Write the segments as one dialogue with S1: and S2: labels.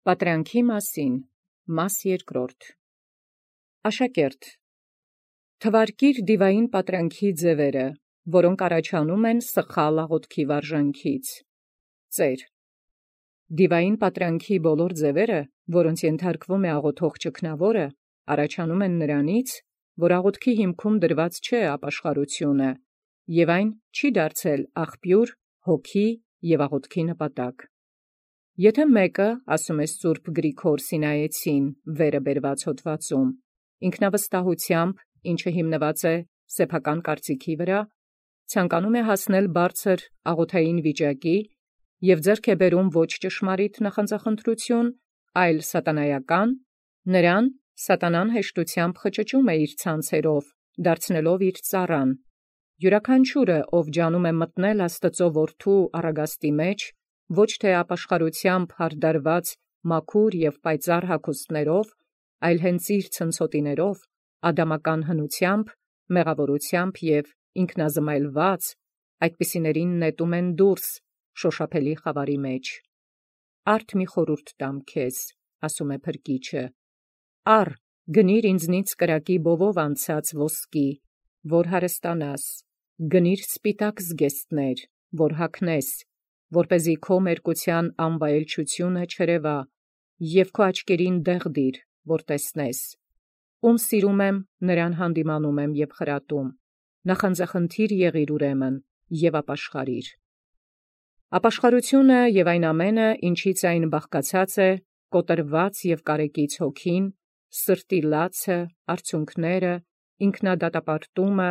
S1: Պատրանքի մասին, մաս երկրորդ։ Աշակերտ, թվարկիր դիվային պատրանքի ձևերը, որոնք առաջանում են սխալ աղոթքի վարժանքից։ Ծեր. դիվային պատրանքի բոլոր ձևերը, որոնց ենթարկվում է աղոթող ճգնավորը, առաջանում են նրանից, որ աղոթքի հիմքում դրված չէ ապաշխարությունը, և այն չի դարձել աղբյուր, հոգի և աղոթքի նպատակ։ Եթե մեկը, ասում է Սուրբ Գրիգոր Սինայեցին վերը բերված հոդվածում, ինքնավստահությամբ, ինչը հիմնված է սեփական կարծիքի վրա, ցանկանում է հասնել բարձր աղոթային վիճակի և ձեռք է բերում ոչ ճշմարիտ նախանձախնդրություն, այլ սատանայական, նրան սատանան հեշտությամբ խճճում է իր ցանցերով, դարձնելով իր ծառան։ Յուրաքանչյուրը, ով ջանում է մտնել Աստծո որդու առագաստի մեջ, ոչ թե ապաշխարությամբ հարդարված մաքուր և պայծառ հագուստներով, այլ հենց իր ցնցոտիներով, ադամական հնությամբ, մեղավորությամբ և ինքնազմայլված, այդպիսիներին նետում են դուրս շոշափելի խավարի մեջ։ Արդ մի խորհուրդ տամ քեզ, ասում է Փրկիչը. առ, գնիր ինձնից կրակի բովով անցած ոսկի, որ հարստանաս, գնիր սպիտակ զգեստներ, որ հագնես, որպեսզի քո մերկության անվայելչությունը չերևա, և քո աչքերին դեղ դիր, որ տեսնես։ Ում սիրում եմ, նրան հանդիմանում եմ և խրատում, նախանձախնդիր եղիր ուրեմն և ապաշխարիր։ Ապաշխարությունը և այն ամենը, ինչից այն բաղկացած է, կոտրված և կարեկից հոգին, սրտի լացը, արցունքները, ինքնադատապարտումը,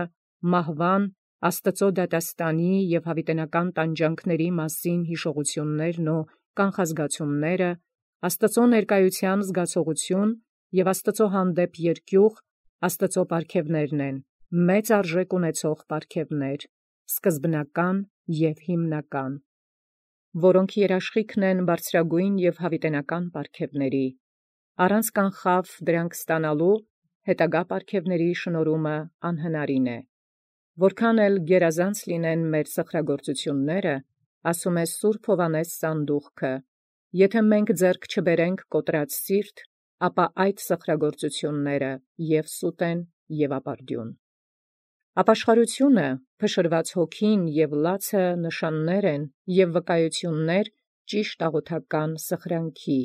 S1: մահվան, Աստծո դատաստանի և հավիտենական տանջանքների մասին հիշողություններն ու կանխազգացումները, Աստծո ներկայության զգացողություն և Աստծո հանդեպ երկյուղ, Աստծո պարգևներն են, մեծ արժեք ունեցող պարգևներ, սկզբնական և հիմնական, որոնք երաշխիքն են բարձրագույն և հավիտենական պարգևների, առանց կանխավ դրանք ստանալու հետագա պարգևների շնորհումը անհնարին է։ Որքան էլ գերազանց լինեն մեր սխրագործությունները, ասում է Սուրբ Հովհաննես Սանդուղքը, եթե մենք ձեռք չբերենք կոտրած սիրտ, ապա այդ սխրագործությունները և սուտ են և ապարդյուն։ Ապաշխարությունը, փշրված հոգին և լացը նշաններ են և վկայություններ ճիշտ աղոթական սխրանքի,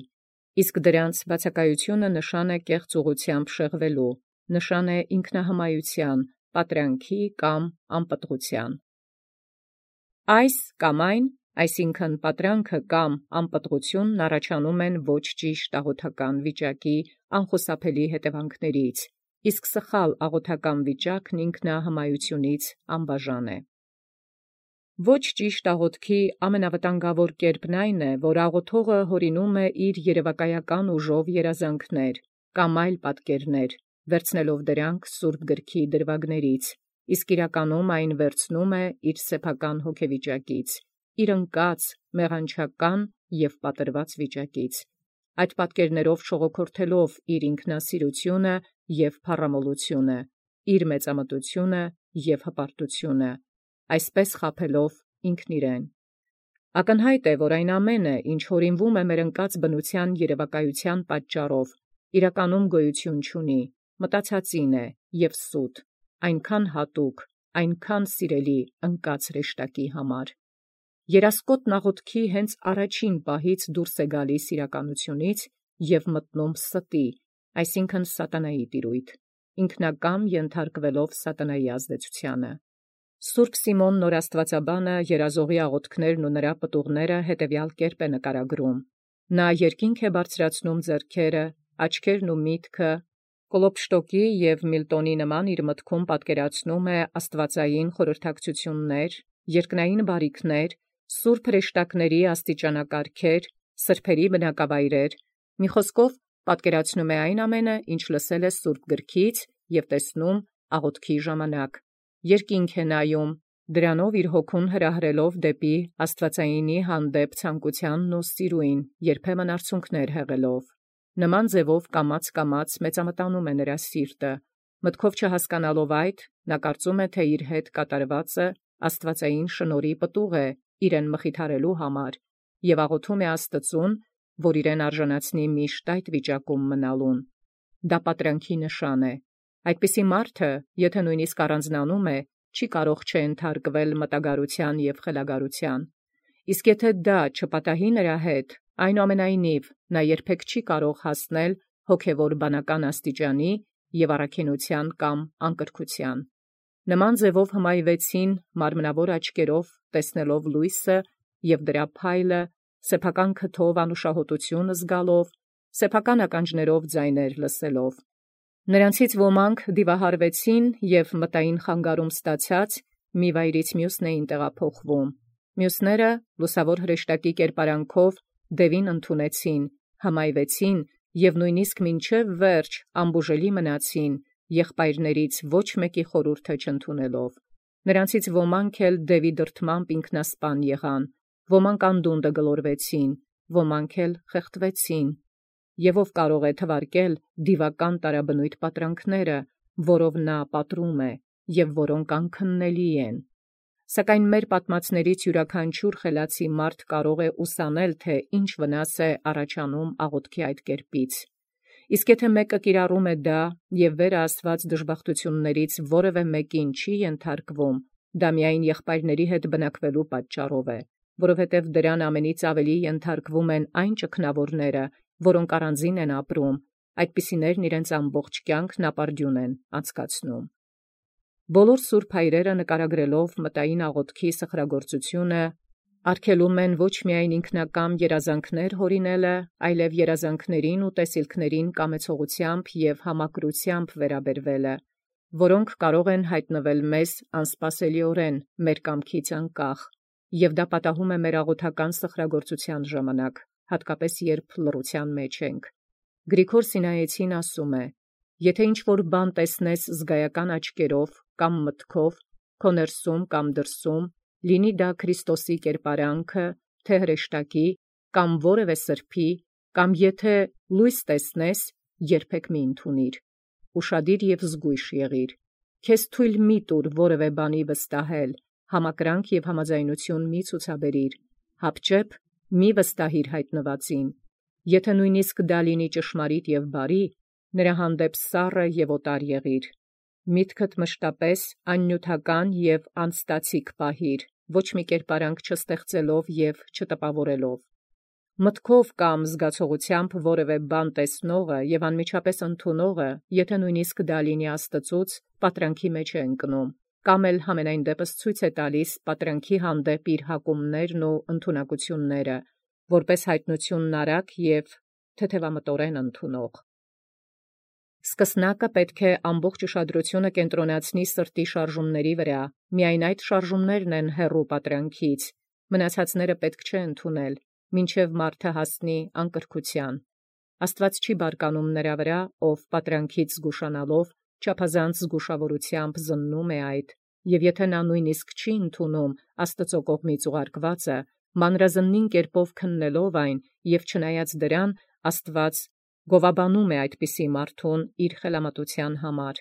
S1: իսկ դրանց բացակայությունը նշան է կեղծ ուղղությամբ շեղվելու, նշան է ինքնահմայության, պատրանքի կամ անպտղության։ Այս կամ այն, այսինքն պատրանքը կամ անպտղությունն առաջանում են ոչ ճիշտ աղոթական վիճակի անխուսափելի հետևանքներից, իսկ սխալ աղոթական վիճակն ինքնահմայությունից անբաժան է։ Ոչ ճիշտ աղոթքի ամենավտանգավոր կերպն այն է, որ աղոթողը հորինում է իր երևակայական ուժով երազանքներ կամ այլ պատկերներ, վերցնելով դրանք Սուրբ Գրքի դրվագներից, իսկ իրականում այն վերցնում է իր սեփական հոգեվիճակից, իր ընկած, մեղանչական և պատրված վիճակից, այդ պատկերներով շողոքորթելով իր ինքնասիրությունը և փառամոլությունը, իր մեծամտությունը և հպարտությունը, այսպես խաբելով ինքն իրեն։ Ակնհայտ է, որ այն ամենը, ինչ հորինվում է մեր ընկած բնության երևակայության պատճառով, իրականում գոյություն չունի, մտածածին է և սուտ, այնքան հատուկ, այնքան սիրելի ընկած հրեշտակի համար։ Երասկոտն աղոթքի հենց առաջին պահից դուրս է գալիս իրականությունից և մտնում ստի, այսինքն սատանայի տիրույթ, ինքնակամ ենթարկվելով սատանայի ազդեցությանը։ Սուրբ Սիմոն Նորաստվածաբանը երազողի աղոթքներն ու նրա պտուղները հետևյալ կերպ է նկարագրում. նա երկինք է բարձրացնում ձեռքերը, աչքերն ու միտքը, Կլոպշտոկի և Միլտոնի նման իր մտքում պատկերացնում է աստվածային խորհրդակցություններ, երկնային բարիքներ, սուրբ հրեշտակների աստիճանակարգեր, սրբերի բնակավայրեր, մի խոսքով պատկերացնում է այն ամենը, ինչ լսել է Սուրբ Գրքից և տեսնում աղոթքի ժամանակ, երկինք է նայում, դրանով իր հոգուն հրահրելով դեպի աստվածայինի հանդեպ ցանկությանն ու սիրույն, երբեմն արցունքներ հեղելով։ Նման ձևով կամաց մեծամտանում է նրա սիրտը, մտքով չհասկանալով այդ, նա կարծում է, թե իր հետ կատարվածը աստվածային շնորհի պտուղ է իրեն մխիթարելու համար, և աղոթում է Աստծուն, որ իրեն արժանացնի միշտ այդ վիճակում մնալուն։ Դա պատրանքի նշան է։ Այդպիսի մարդը, եթե նույնիսկ առանձնանում է, չի կարող չընթարկվել մտագարության և խելագարության։ Իսկ եթե դա չպատահի նրա հետ, այնուամենայնիվ նա երբեք չի կարող հասնել հոգևոր բանական աստիճանի և առաքինության կամ անկրկության։ Նման ձևով հմայվեցին մարմնավոր աչքերով տեսնելով լույսը և դրա փայլը, սեփական քթով անուշահոտություն զգալով, սեփական ականջներով ձայներ լսելով։ Նրանցից ոմանք դիվահարվեցին և մտային խանգարում ստացած մի վայրից մյուսն էին տեղափոխվում։ Մյուսները լուսավոր հրեշտակի կերպարանքով դևին ընդունեցին, հմայվեցին և նույնիսկ մինչև վերջ անբուժելի մնացին, եղբայրներից ոչ մեկի խորհուրդը չընդունելով։ Նրանցից ոմանք էլ դևի դրդմամբ ինքնասպան եղան, ոմանք անդունդը գլորվեցին, ոմանք էլ խեղդվեցին։ Եվ ով կարող է թվարկել դիվական տարաբնույթ պատրանքները, որով նա պատռում է, և որոնք անքննելի են։ Սակայն մեր պատմածներից յուրաքանչյուր խելացի մարդ կարող է ուսանել, թե ինչ վնաս է առաջանում աղոթքի այդ կերպից։ Իսկ եթե մեկը կիրառում է դա և վերը ասված դժբախտություններից որևէ մեկին չի ենթարկվում, դա միայն եղբայրների հետ բնակվելու պատճառով է, որովհետև դրան ամենից ավելի ենթարկվում են այն ճգնավորները, որոնք առանձին են ապրում, այդպիսիներն իրենց ամբողջ կյանքն ապարդյուն են անցկացնում։ Բոլոր սուրբ հայրերը նկարագրելով մտային աղոթքի սխրագործությունը, արգելում են ոչ միայն ինքնակամ երազանքներ հորինելը, այլև երազանքներին ու տեսիլքներին կամեցողությամբ և համակրությամբ վերաբերվելը, որոնք կարող են հայտնվել մեզ անսպասելիորեն մեր կամքից անկախ, և դա պատահում է մեր աղոթական սխրագործության ժամանակ, հատկապես երբ լռության մեջ ենք։ Գրիգոր Սինայեցին ասում է. «Եթե ինչ-որ բան տեսնես զգայական աչքերով կամ մտքով, քո ներսում կամ դրսում, լինի դա Քրիստոսի կերպարանքը, թե հրեշտակի, կամ որևէ սրբի, կամ եթե լույս տեսնես, երբեք մի ընդունիր։ Ուշադիր և զգույշ եղիր։ Քեզ թույլ մի տուր որևէ բանի վստահել, համակրանք և համաձայնություն մի ցուցաբերիր, հապճեպ մի վստահիր հայտնվածին։ Եթե նույնիսկ դա լինի ճշմարիտ և բարի, նրա հանդեպ սառը և օտար եղիր։ Միտքդ մշտապես աննյութական և անստացիկ պահիր, ոչ մի կերպարանք չստեղծելով և չտպավորելով։ Մտքով կամ զգացողությամբ որևէ բան տեսնողը և անմիջապես ընդունողը, եթե նույնիսկ դա լինի Աստծուց, պատրանքի մեջ է ընկնում, կամ էլ համենայն դեպս ցույց է տալիս պատրանքի հանդեպ իր հակումներն ու ընդունակությունները, որպես հայտնությունն արագ և թեթևամտորեն ընդունող։ Սկսնակը պետք է ամբողջ ուշադրությունը կենտրոնացնի սրտի շարժումների վրա, միայն այդ շարժումներն են հեռու պատրանքից, մնացածները պետք չէ ընդունել, մինչև մարդը հասնի անկրկության։ Աստված չի բարկանում նրա վրա, ով պատրանքից զգուշանալով, չափազանց զգուշավորությամբ զննում է այդ, և եթե նա նույնիսկ չի ընդունում Աստծո կողմից ուղարկվածը, մանրազնին կերպով քննելով այն, և չնայած դրան, Աստված գովաբանում է այդպիսի մարդուն իր խելամտության համար։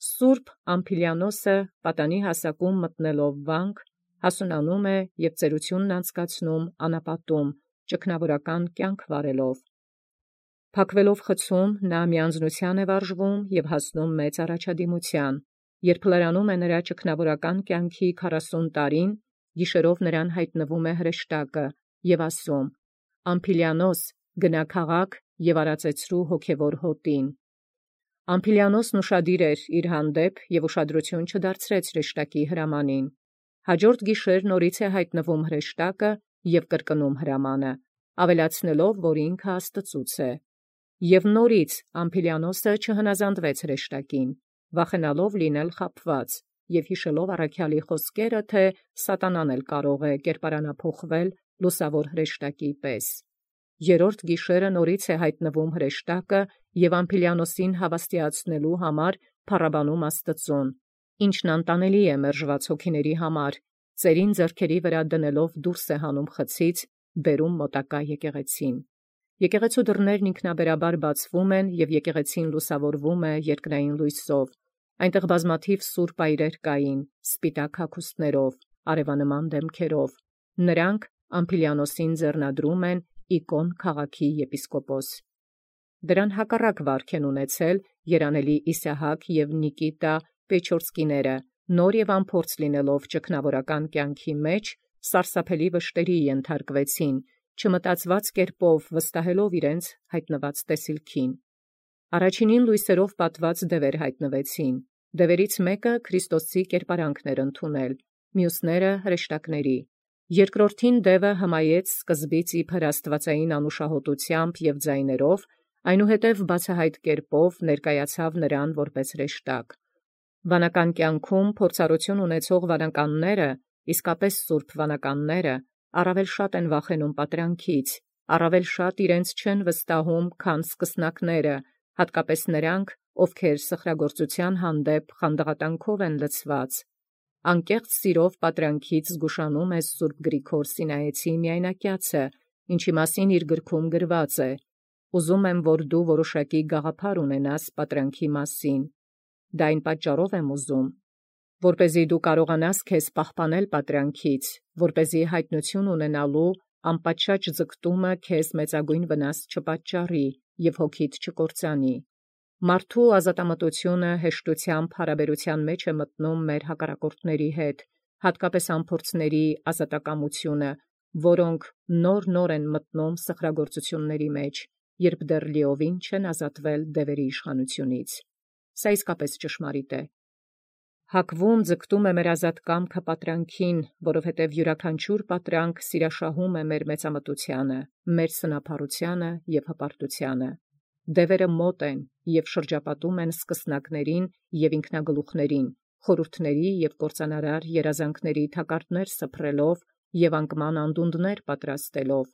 S1: Սուրբ Ամփիլիանոսը պատանի հասակում մտնելով վանք, հասունանում է և ծերությունն անցկացնում անապատում, ճգնավորական կյանք վարելով։ Փակվելով խցում, նա միանձնության է վարժվում և հասնում մեծ առաջադիմության, երբ լրանում է նրա ճգնավորական կյանքի 40 տարին, գիշերով նրան հայտնվում է հրեշտակը և ասում. «Ամփիլիանոս, գնա քաղաք և արածեցրու հոգևոր հոտին»։ Ամփիլիանոսն ուշադիր էր իր հանդեպ և ուշադրություն չդարձրեց հրեշտակի հրամանին։ Հաջորդ գիշեր նորից է հայտնվում հրեշտակը և կրկնում հրամանը, ավելացնելով, որ ինքը Աստծուց է։ Եվ նորից Ամփիլիանոսը չհնազանդվեց հրեշտակին, վախենալով լինել խաբված և հիշելով առաքյալի խոսքերը, թե սատանան էլ կարող է կերպարանափոխվել լուսավոր հրեշտակի պես։ Երրորդ գիշերը նորից է հայտնվում հրեշտակը և Ամփիլիանոսին հավաստիացնելու համար փառաբանում Աստծուն, ինչն անտանելի է մերժված հոգիների համար, ծերին ձեռքերի վրա դնելով դուրս է հանում խցից, բերում մոտակա եկեղեցին։ Եկեղեցու դռներն ինքնաբերաբար բացվում են և եկեղեցին լուսավորվում է երկնային լույսով։ Այնտեղ բազմաթիվ սուրբ այրեր կային, սպիտակ հագուստներով, արևանման դեմքերով։ Նրանք Ամփիլիանոսին ձեռնադրում են Իկոն քաղաքի եպիսկոպոս։ Դրան հակառակ վարք են ունեցել երանելի Իսահակ և Նիկիտա Պեչորսկիները, նոր և անփորձ լինելով ճգնավորական կյանքի մեջ, սարսափելի վշտերի ենթարկվեցին, չմտածված կերպով վստահելով իրենց հայտնված տեսիլքին։ Առաջինին լույսերով պատված դևեր հայտնվեցին, դևերից մեկը Քրիստոսի կերպարանքն էր ընդունել, մյուսները հրեշտակների։ Երկրորդին դևը հմայեց սկզբից իբր աստվածային անուշահոտությամբ և ձայներով, այնուհետև բացահայտ կերպով ներկայացավ նրան որպես հրեշտակ։ Վանական կյանքում փորձառություն ունեցող վանականները, իսկապես սուրբ վանականները, առավել շատ են վախենում պատրանքից, առավել շատ իրենց չեն վստահում, քան սկսնակները, հատկապես նրանք, ովքեր սխրագործության հանդեպ խանդաղատանքով են լցված։ Անկեղծ սիրով պատրանքից զգուշանում է Սուրբ Գրիգոր Սինայեցի միայնակյացը, ինչի մասին իր գրքում գրված է. «Ուզում եմ, որ դու որոշակի գաղափար ունենաս պատրանքի մասին։ Դա այն պատճառով եմ ուզում, որպեսզի դու կարողանաս քեզ պահպանել պատրանքից, որպեսզի հայտնություն ունենալու անպատշաճ ձգտումը քեզ մեծագույն վնաս չպատճառի և հոգիդ չկործանի։ Մարդու ազատամտությունը հեշտությամբ հարաբերության մեջ է մտնում մեր հակառակորդների հետ, հատկապես անփորձների ազատակամությունը, որոնք նոր են մտնում սխրագործությունների մեջ, երբ դեռ լիովին չեն ազատվել դևերի իշխանությունից։ Սա իսկապես ճշմարիտ է։ Հակվում ձգտում է մեր ազատ կամքը պատրանքին, որովհետև յուրաքանչյուր պատրանք սիրաշահում է մեր մեծամտությանը, մեր սնափառությանը և հպարտությանը։ Դևերը մոտ են և շրջապատում են սկսնակներին և ինքնագլուխներին, խորհուրդների և կործանարար երազանքների թակարդներ սփռելով և անկման անդունդներ պատրաստելով։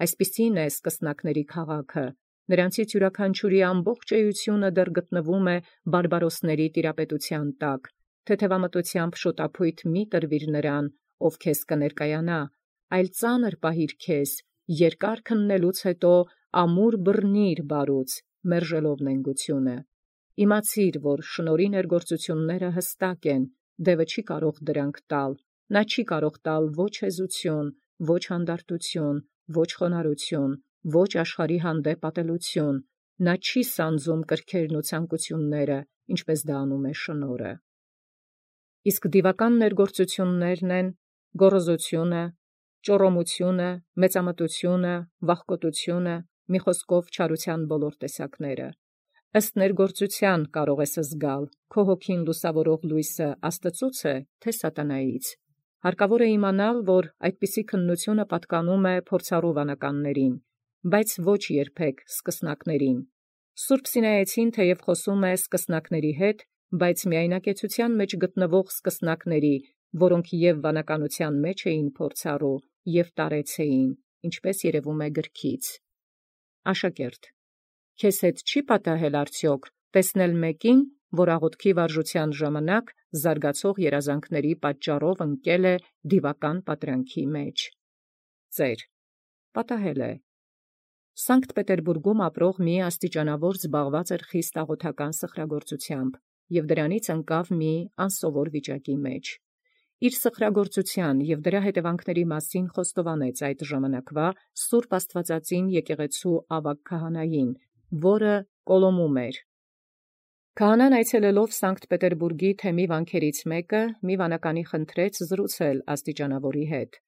S1: Այսպիսին է սկսնակների քաղաքը, նրանցից յուրաքանչյուրի ամբողջ էությունը դեռ գտնվում է բարբարոսների տիրապետության տակ, թեթևամտությամբ շոտափույթ մի տրվիր նրան, ով քեզ կներկայանա, այլ ծանր պահիր քեզ, երկար քննելուց հետո ամուր բռնիր բարուց, մերժելով նենգությունը։ Իմացիր, որ շնորհի ներգործությունները հստակ են, դևը չի կարող դրանք տալ, նա չի կարող տալ ոչ հեզություն, ոչ հանդարտություն, ոչ խոնարհություն, ոչ աշխարհի հանդեպ ատելություն, նա չի սանձում կրքերն ու ցանկությունները, ինչպես դա անում է շնորհը։ Իսկ դիվական ներգործություններն են գոռոզությունը, ճոռոմությունը, մեծամտությունը, վախկոտությունը, մի խոսքով չարության բոլոր տեսակները։ Ըստ ներգործության կարող ես զգալ, քո հոգին լուսավորող լույսը Աստծուց է, թե սատանայից։ Հարկավոր է իմանալ, որ այդպիսի քննությունը պատկանում է փորձառու վանականներին, բայց ոչ երբեք սկսնակներին։ Սուրբ Սինայեցին թեև խոսում է սկսնակների հետ, բայց միայնակեցության մեջ գտնվող սկսնակների, որոնք և վանականության մեջ էին փորձառու, և տարեց էին, ինչպես երևում է գրքից։ Աշակերտ, քեզ հետ չի պատահել արդյոք տեսնել մեկին, որ աղոթքի վարժության ժամանակ զարգացող երազանքների պատճառով ընկել է դիվական պատրանքի մեջ։ Ծեր. պատահել է։ Սանկտ Պետերբուրգում ապրող մի աստիճանավոր զբաղված էր խիստ աղոթական սխրագործությամբ և դրանից ընկավ մի անսովոր վիճակի մեջ։ Իր սխրագործության և դրա հետևանքների մասին խոստովանեց այդ ժամանակվա Սուրբ Աստվածածին եկեղեցու ավագ քահանային, որը Կոլոմում էր։ Քահանան այցելելով Սանկտ Պետերբուրգի թեմի վանքերից մեկը, մի վանականի խնդրեց զրուցել աստիճանավորի հետ։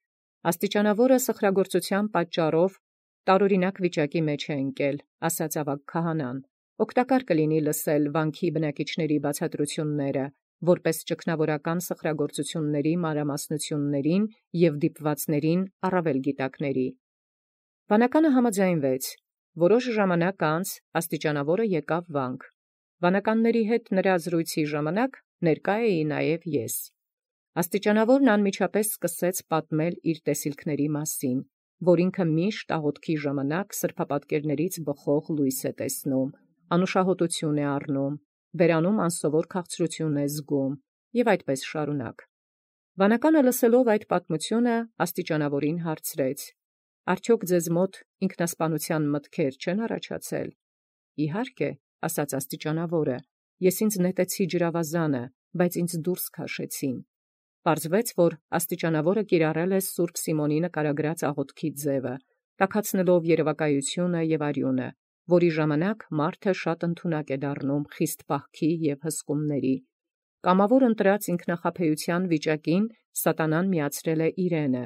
S1: Աստիճանավորը սխրագործության պատճառով տարօրինակ վիճակի մեջ է ընկել, ասաց ավագ քահանան։ Օգտակար կլինի լսել վանքի բնակիչների բացատրությունները, որպես ճգնավորական սխրագործությունների մանրամասնություններին և դիպվածներին առավել գիտակների։ Վանականը համաձայնվեց։ Որոշ ժամանակ անց աստիճանավորը եկավ վանք։ Վանականների հետ նրա զրույցի ժամանակ ներկա էի նաև ես։ Աստիճանավորն անմիջապես սկսեց պատմել իր տեսիլքների մասին, որ ինքը միշտ աղոթքի ժամանակ սրբապատկերներից բխող լույս է տեսնում, անուշահոտություն է առնում, բերանում անսովոր քաղցրություն է զգում, և այդպես շարունակ։ Վանականը լսելով այդ պատմությունը աստիճանավորին հարցրեց. «Արդյոք ձեզ մոտ ինքնասպանության մտքեր չեն առաջացել»։ «Իհարկե», ասաց աստիճանավորը, «ես ինձ նետեցի ջրավազանը, բայց ինձ դուրս քաշեցին»։ Պարզվեց, որ աստիճանավորը կիրառել է Սուրբ Սիմոնի նկարագրած աղոթքի ձևը, տաքացնելով երևակայությունը եւ արյունը, որի ժամանակ մարդը շատ ընդունակ է դառնում խիստ պահքի եւ հսկումների։ Կամավոր ընտրած ինքնախաբեության վիճակին սատանան միացրել է իրենը,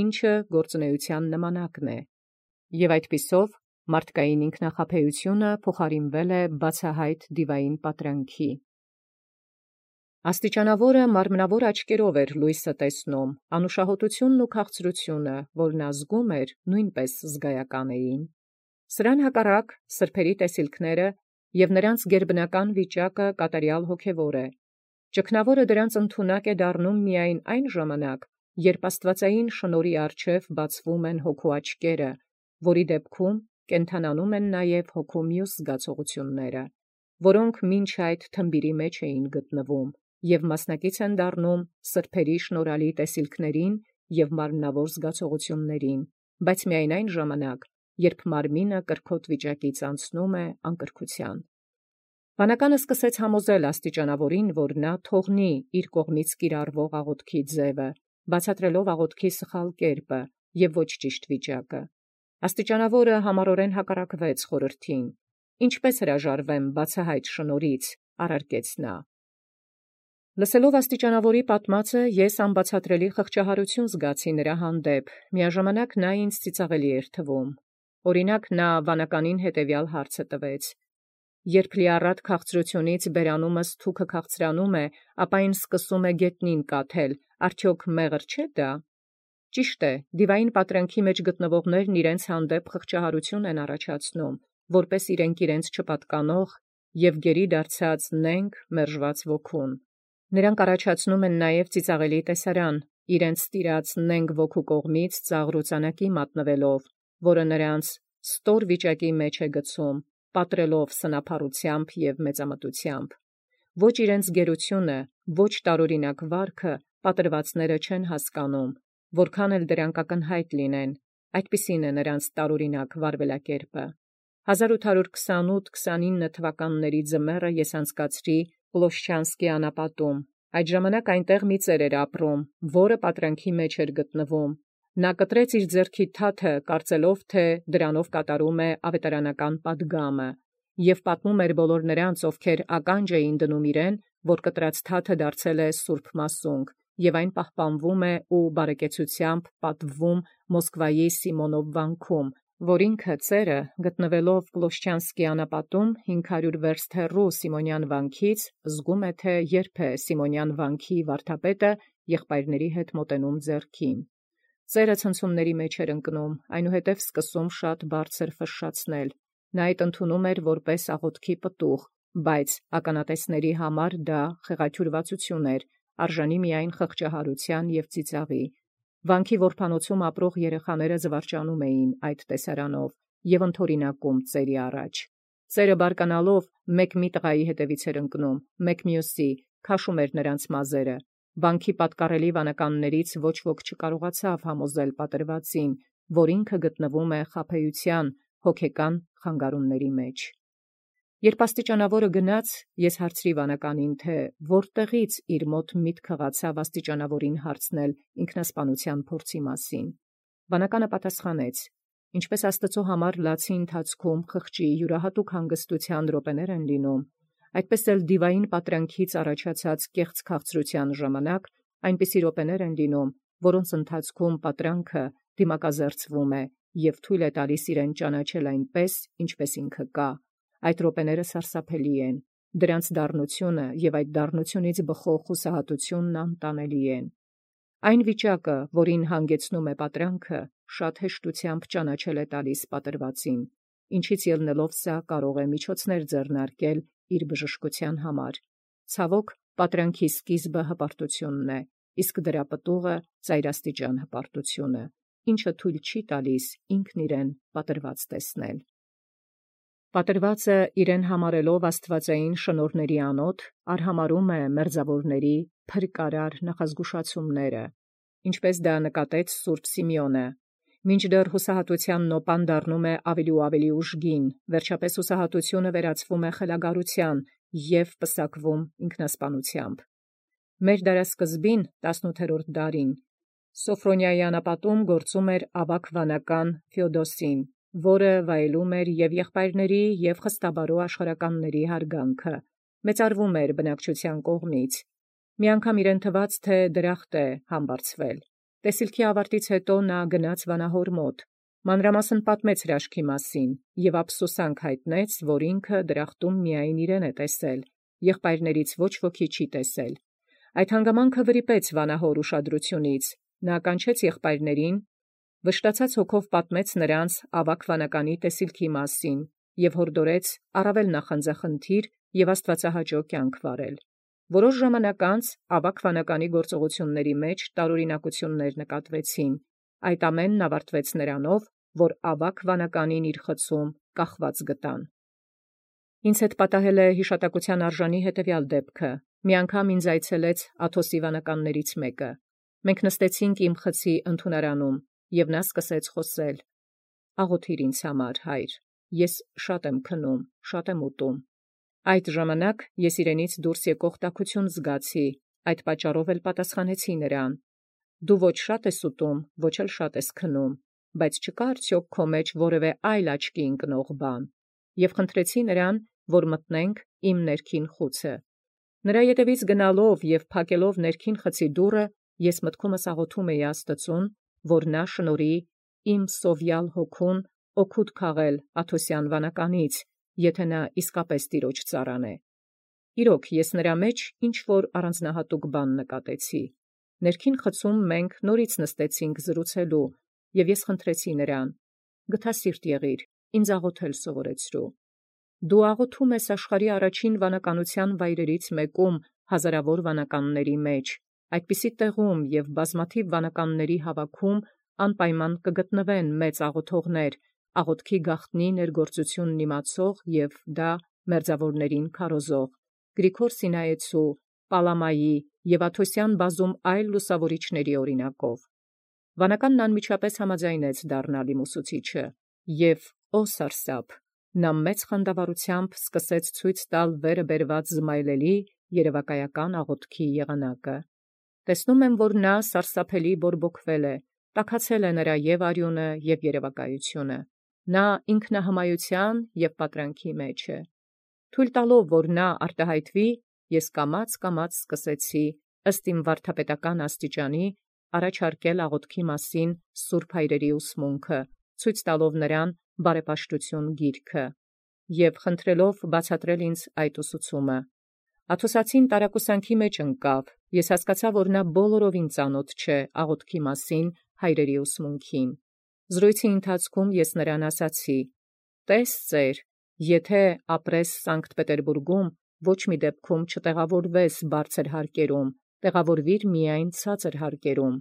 S1: ինչը գործունեության նմանակն է, եւ այդպիսով մարդկային ինքնախաբեությունը փոխարինվել է բացահայտ դիվային պատրանքի։ Աստիճանավորը մարմնավոր աչքերով էր լույսը տեսնում, անուշահոտությունն ու քաղցրությունը, որն ազգում էր, նույնպես զգայական էին։ Սրան հակառակ սրբերի տեսիլքները եւ նրանց գերբնական վիճակը կատարյալ հոգևոր է։ Ճգնավորը դրանց ընդունակ է դառնում միայն այն ժամանակ, երբ աստվածային շնորհի առջև բացվում են հոգու աչքերը, որի դեպքում կենթանանում են նաև հոգու մյուս զգացողությունները, որոնք մինչ այդ թմբիրի մեջ էին գտնվում եւ մասնակից են դառնում սրբերի շնորհալի տեսիլքներին եւ մարմնավոր զգացողություններին, բայց միայն այն ժամանակ, երբ մարմինը կրքոտ վիճակից անցնում է անկրքության։ Վանականը սկսեց համոզել աստիճանավորին, որ նա թողնի իր կողմից կիրառվող աղոթքի ձևը, բացատրելով աղոթքի սխալ կերպը եւ ոչ ճիշտ վիճակը։ Աստիճանավորը համառորեն հակառակվեց խորհրդին։ Ինչպես հրաժարվեմ բացահայտ շնորհից, առարկեց նա։ Լսելով աստիճանավորի պատմածը, ես անբացատրելի խղճահարություն զգացի նրա հանդեպ, միաժամանակ նա ինձ ծիծաղելի էր թվում։ Օրինակ նա վանականին հետևյալ հարցը տվեց. Երբ լիառատ քաղցրությունից բերանումս թուքը քաղցրանում է, ապա այն սկսում է գետնին կաթել, արդյոք մեղր չէ դա։ Ճիշտ է, դիվային պատրանքի մեջ գտնվողներն իրենց հանդեպ խղճահարություն են առաջացնում, որպես իրենց չպատկանող եւ գերի դարձած նենգ մերժված ոգուն։ Նրանք առաջացնում են նաև ծիծաղելի տեսարան, իրենց ստիրած նենգ ոգու կողմից ծաղրոցանակի մատնվելով, որը նրանց ստոր վիճակի մեջ է գցում, պատրելով սնափառությամբ եւ մեծամտությամբ։ Ոչ իրենց գերությունը, ոչ տարօրինակ վարքը պատրվածները չեն հասկանում, որքան էլ դրանք ակնհայտ լինեն, այդպիսին է նրանց տարօրինակ վարվելակերպը։ 1828-29 թվականների ձմեռը ես անցկացրի Պլոշչանսկի անապատում։ Այդ ժամանակ այնտեղ մի ծեր էր ապրում, որը պատրանքի մեջ էր գտնվում։ Նա կտրեց իր ձեռքի թաթը, կարծելով, թե դրանով կատարում է ավետարանական պատգամը, եւ պատմում էր բոլոր նրանց, ովքեր ականջ էին դնում իրեն, որ կտրած թաթը դարձել է սուրբ մասունք, եւ այն պահպանվում է ու բարեկեցությամբ պատվվում Մոսկվայի Սիմոնով վանքում, որ ինքը ծերը, գտնվելով Պլոշչանսկի անապատում 500 վերստ հեռու Սիմոնյան վանքից, զգում է, թե երբ է Սիմոնյան վանքի վարդապետը եղբայրների հետ մոտենում ձեռքին։ Ծերը ցնցումների մեջ էր ընկնում, այնուհետև սկսում շատ բարձր ֆշշացնել։ Նա այդ ընդունում էր որպես աղոթքի պտուղ, բայց ականատեսների համար դա խեղաթյուրվածություն էր, արժանի միայն խղճահարության եւ ծիծաղի։ Վանքի որփանոցում ապրող երեխաները զվարճանում էին այդ տեսարանով եւ ընդօրինակում ծերի առաջ։ Ծերը բարկանալով մեկ մի տղայի հետևից էր ընկնում, մեկ մյուսի, քաշում էր նրանց մազերը։ Վանքի պատկառելի վանականներից ոչ ոք չկարողացավ համոզել պատրվածին, որ ինքը գտնվում է խաբեության հոգեկան խանգարումների մեջ։ Երբ աստիճանավորը գնաց, ես հարցրի վանականին, թե որտեղից իր մոտ միտք հղացավ աստիճանավորին հարցնել ինքնասպանության փորձի մասին։ Վանականը պատասխանեց. ինչպես Աստծո համար լացի ընթացքում խղճի յուրահատուկ հանգստության րոպեներ են լինում, այդպես էլ դիվային պատրանքից առաջացած կեղծ քաղցրության ժամանակ այնպիսի րոպեներ են լինում, որոնց ընթացքում պատրանքը դիմակազերծվում է եւ թույլ է տալիս իրեն ճանաչել այնպես, ինչպես ինքը կա։ Այդ րոպեները սարսափելի են, դրանց դառնությունը եւ այդ դառնությունից բխող խուսահատությունն անտանելի են։ Այն վիճակը, որին հանգեցնում է պատրանքը, շատ հեշտությամբ ճանաչել է տալիս պատրվածին, ինչից ելնելով սա կարող է միջոցներ ձեռնարկել իր բժշկության համար։ Ցավոք, պատրանքի սկիզբը հպարտությունն է, իսկ դրա պտուղը ծայրաստիճան հպարտությունը, ինչը թույլ չի տալիս ինքն իրեն պատրված տեսնել։ Պատրվածը իրեն համարելով աստվածային շնորհների անոթ, արհամարում է մերձավորների փրկարար նախազգուշացումները, ինչպես դա նկատեց Սուրբ Սիմեոնը։ Մինչդեռ հուսահատության նոպան դառնում է ավելի ու ավելի ուժգին, վերջապես հուսահատությունը վերածվում է խելագարության եւ պսակվում ինքնասպանությամբ։ Մեր դարասկզբին 18-րդ դարին Սոֆրոնիայի անապատում գործում էր ավագ վանական Ֆեոդոսին, որը վայելում էր և եղբայրների և խստաբարոյ աշխարհականների հարգանքը, մեծարվում էր բնակչության կողմից։ Մի անգամ իրեն թվաց, թե դրախտ է համբարձվել։ Տեսիլքի ավարտից հետո նա գնաց վանահոր մոտ, մանրամասն պատմեց հրաշքի մասին և ափսոսանք հայտնեց, որ ինքը դրախտում միայն իրեն է տեսել, եղբայրներից ոչ ոքի չի տեսել։ Այդ հանգամանքը վրիպեց վանահոր ուշադրությունից, նա կանչեց եղբայրներին, վշտացած հոգով պատմեց նրանց ավագ վանականի տեսիլքի մասին և հորդորեց առավել նախանձախնդիր և աստվածահաճո կյանք վարել։ Որոշ ժամանակ անց ավագ վանականի գործողությունների մեջ տարօրինակություններ նկատվեցին։ Այդ ամենն ավարտվեց նրանով, որ ավագ վանականին իր խցում կախված գտան։ Ինձ հետ պատահել է հիշատակության արժանի հետևյալ դեպքը։ Մի անգամ ինձ այցելեց Աթոսի վանականներից մեկը։ Մենք նստեցինք իմ խցի ընդունարանում, և նա սկսեց խոսել. «Աղոթիր ինձ համար, հայր, ես շատ եմ քնում, շատ եմ ուտում»։ Այդ ժամանակ ես իրենից դուրս եկող տաքություն զգացի, այդ պատճառով էլ պատասխանեցի նրան. «Դու ոչ շատ ես ուտում, ոչ էլ շատ ես քնում, բայց չկա՞ արդյոք քո մեջ որևէ այլ աչքի ընկնող բան»։ Եվ խնդրեցի նրան, որ մտնենք իմ ներքին խուցը։ Նրա ետևից գնալով և փակելով ներքին խցի դուռը, ես մտքումս աղոթում էի Աստծուն, որ նա շնորհի իմ սովյալ հոգուն օգուտ քաղել Աթոսյան վանականից, եթե նա իսկապես Տիրոջ ծառան է։ Իրոք, ես նրա մեջ ինչ-որ առանձնահատուկ բան նկատեցի։ Ներքին խցում մենք նորից նստեցինք զրուցելու, և ես խնդրեցի նրան. «Գթասիրտ եղիր, ինձ աղոթել սովորեցրու։ Դու աղոթում ես աշխարհի առաջին վանականության վայրերից մեկում հազարավոր վանականների մեջ, այդպիսի տեղում և բազմաթիվ վանականների հավաքում անպայման կգտնվեն մեծ աղոթողներ, աղոթքի գաղտնի ներգործությունն իմացող և դա մերձավորներին քարոզող, Գրիգոր Սինայեցու, Պալամայի և Աթոսյան բազում այլ լուսավորիչների օրինակով»։ Վանականն անմիջապես համաձայնեց դառնալ իմ ուսուցիչը, և ո սարսափ, նա մեծ խանդավառությամբ սկսեց ցույց տալ վերը բերված զմայլելի երևակայական աղոթքի եղանակը։ Տեսնում եմ, որ նա սարսափելի բորբոքվել է, տաքացել է նրա և արյունը, և երևակայությունը։ Նա ինքնահմայության և պատրանքի մեջ է։ Թույլ տալով, որ նա արտահայտվի, ես կամաց սկսեցի, ըստ իմ վարդապետական աստիճանի, առաջարկել աղոթքի մասին սուրբ հայրերի ուսմունքը, ցույց տալով նրան բարեպաշտություն գիրքը և խնդրելով բացատրել ինձ այդ ուսուցումը։ Աթոսացին տարակուսանքի մեջ ընկավ, ես հասկացա, որ նա բոլորովին ծանոթ չէ աղոթքի մասին հայրերի ուսմունքին։ Զրույցի ընթացքում ես նրան ասացի. «Տես ծեր, եթե ապրես Սանկտ Պետերբուրգում, ոչ մի դեպքում չտեղավորվես բարձր հարկերում, տեղավորվիր միայն ցածր հարկերում»։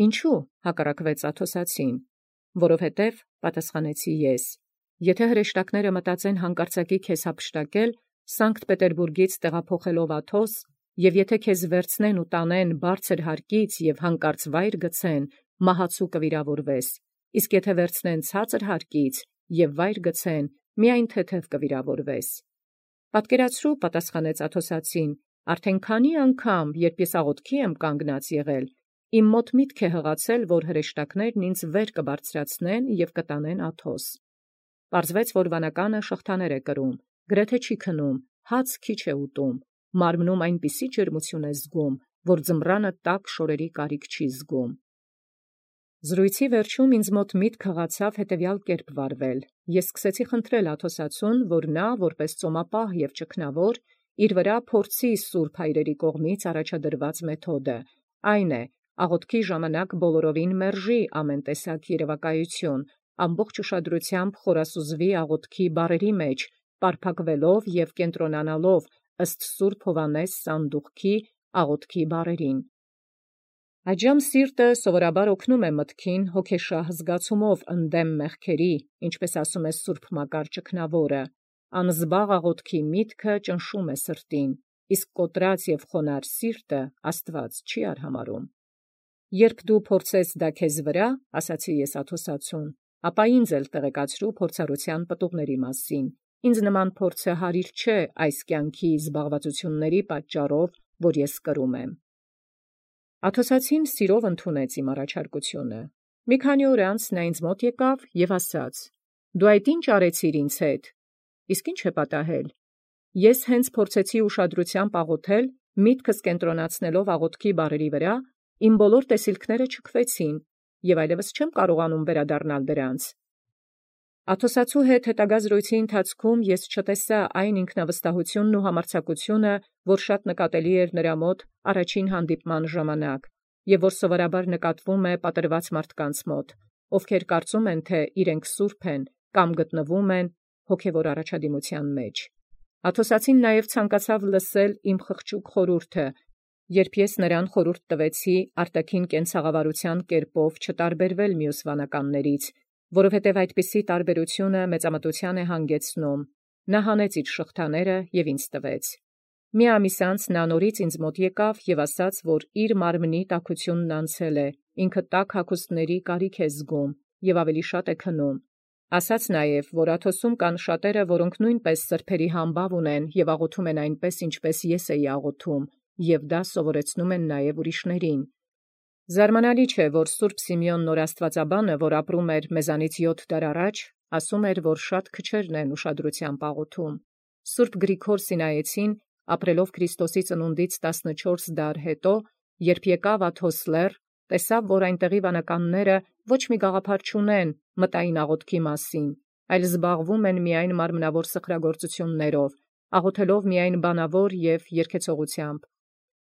S1: «Ինչու՞, հակառակվեց Աթոսացին։ «Որովհետև, պատասխանեցի ես, եթե հրեշտակները մտածեն հանկարծակի քեզ հափշտակել, Սանկտ Պետերբուրգից տեղափոխելով Աթոս, և եթե քեզ վերցնեն ու տանեն բարձր հարկից և հանկարծ վայր գցեն, մահացու կվիրավորվես, իսկ եթե վերցնեն ցածր հարկից և վայր գցեն, միայն թեթև կվիրավորվես»։ «Պատկերացրու, պատասխանեց Աթոսացին, արդեն քանի անգամ, երբ ես աղոթքի եմ կանգնած եղել, իմ մոտ միտք է հղացել, որ հրեշտակներն ինձ վեր կբարձրացնեն և կտանեն Աթոս։ Պարզվեց, որ վանականը շղթաներ է կրում, գրեթե չի քնում, հաց քիչ է ուտում, մարմնում այնպիսի ջերմություն է զգում, որ ձմռանը տաք շորերի կարիք չի զգում»։ Զրույցի վերջում ինձ մոտ միտք հղացավ հետևյալ կերպ վարվել. ես սկսեցի խնդրել Աթոսացուն, որ նա, որպես ծոմապահ և ճգնավոր, իր վրա փորձի սուրբ հայրերի կողմից առաջադրված մեթոդը, այն է, աղոթքի ժամանակ բոլորովին մերժի ամեն տեսակ երևակայություն, ամբողջ ուշադրությամբ խորասուզվի աղոթքի բառերի մեջ, պարփակվելով և կենտրոնանալով ըստ Սուրբ Հովհաննես սանդուղքի աղոթքի բառերին։ Այդժամ սիրտը սովորաբար օգնում է մտքին հոգեշահ զգացումով ընդդեմ մեղքերի, ինչպես ասում է Սուրբ Մակար ճգնավորը, անզբաղ աղոթքի միտքը ճնշում է սրտին, իսկ կոտրած և խոնարհ սիրտը Աստված չի արհամարհում։ «Երբ դու փորձես դա քեզ վրա, ասացի ես Աթոսացուն, ապա ինձ էլ տեղեկացրու փորձառության պտուղների մասին։ Ինձ նման փորձը հարիր չէ այս կյանքի զբաղվածությունների պատճառով, որ ես կրում եմ»։ Աթոսացին սիրով ընդունեց իմ առաջարկությունը։ Մի քանի օր անց նա ինձ մոտ եկավ եւ ասաց. «Դու այդ ինչ արեցիր ինձ հետ»։ Իսկ ինչ է պատահել։ Ես հենց փորձեցի ուշադրությամբ աղոթել, միտքս կենտրոնացնելով աղոթքի բառերի վրա, իմ բոլոր տեսիլքները չքվեցին եւ այլևս չեմ կարողանում վերադառնալ դրանց։ Աթոսացու հետ հետագա զրույցի ընթացքում ես չտեսա այն ինքնավստահությունն ու համարձակությունը, որ շատ նկատելի էր նրա մոտ առաջին հանդիպման ժամանակ, եւ որ սովորաբար նկատվում է պատրված մարդկանց մոտ, ովքեր կարծում են, թե իրենք սուրբ են կամ գտնվում են հոգևոր առաջադիմության մեջ։ Աթոսացին նաև ցանկացավ լսել իմ խղճուկ խորհուրդը, երբ ես նրան խորհուրդ տվեցի արտաքին կենցաղավարության կերպով չտարբերվել մյուս վանականներից, որովհետև այդպիսի տարբերությունը մեծամտության է հանգեցնում։ Նա հանեց իր շղթաները եւ ինձ տվեց։ Մի ամիս անց նա նորից ինձ մոտ եկավ եւ ասաց, որ իր մարմնի տաքությունն անցել է, ինքը տաք հագուստների կարիք է զգում եւ ավելի շատ է քնում։ Ասաց նաև, որ Աթոսում կան շատերը, որոնք նույնպես սրբերի համբավ ունեն եւ աղոթում են այնպես, ինչպես ես էի աղոթում, եւ դա սովորեցնում են նաև ուրիշներին։ Զարմանալի չէ, որ Սուրբ Սիմեոն նորաստվածաբանը, որ ապրում էր մեզանից 7 դար առաջ, ասում էր, որ շատ քչերն են ուշադրությամբ աղոթում։ Սուրբ Գրիգոր Սինայեցին, ապրելով Քրիստոսի ծնունդից 14 դար հետո, երբ եկավ Աթոս լեռ, տեսավ, որ այնտեղի վանականները ոչ մի գաղափար չունեն մտային աղոթքի մասին, այլ զբաղվում են միայն մարմնավոր սխրագործություններով, աղոթելով միայն բանավոր եւ երգեցողությամբ։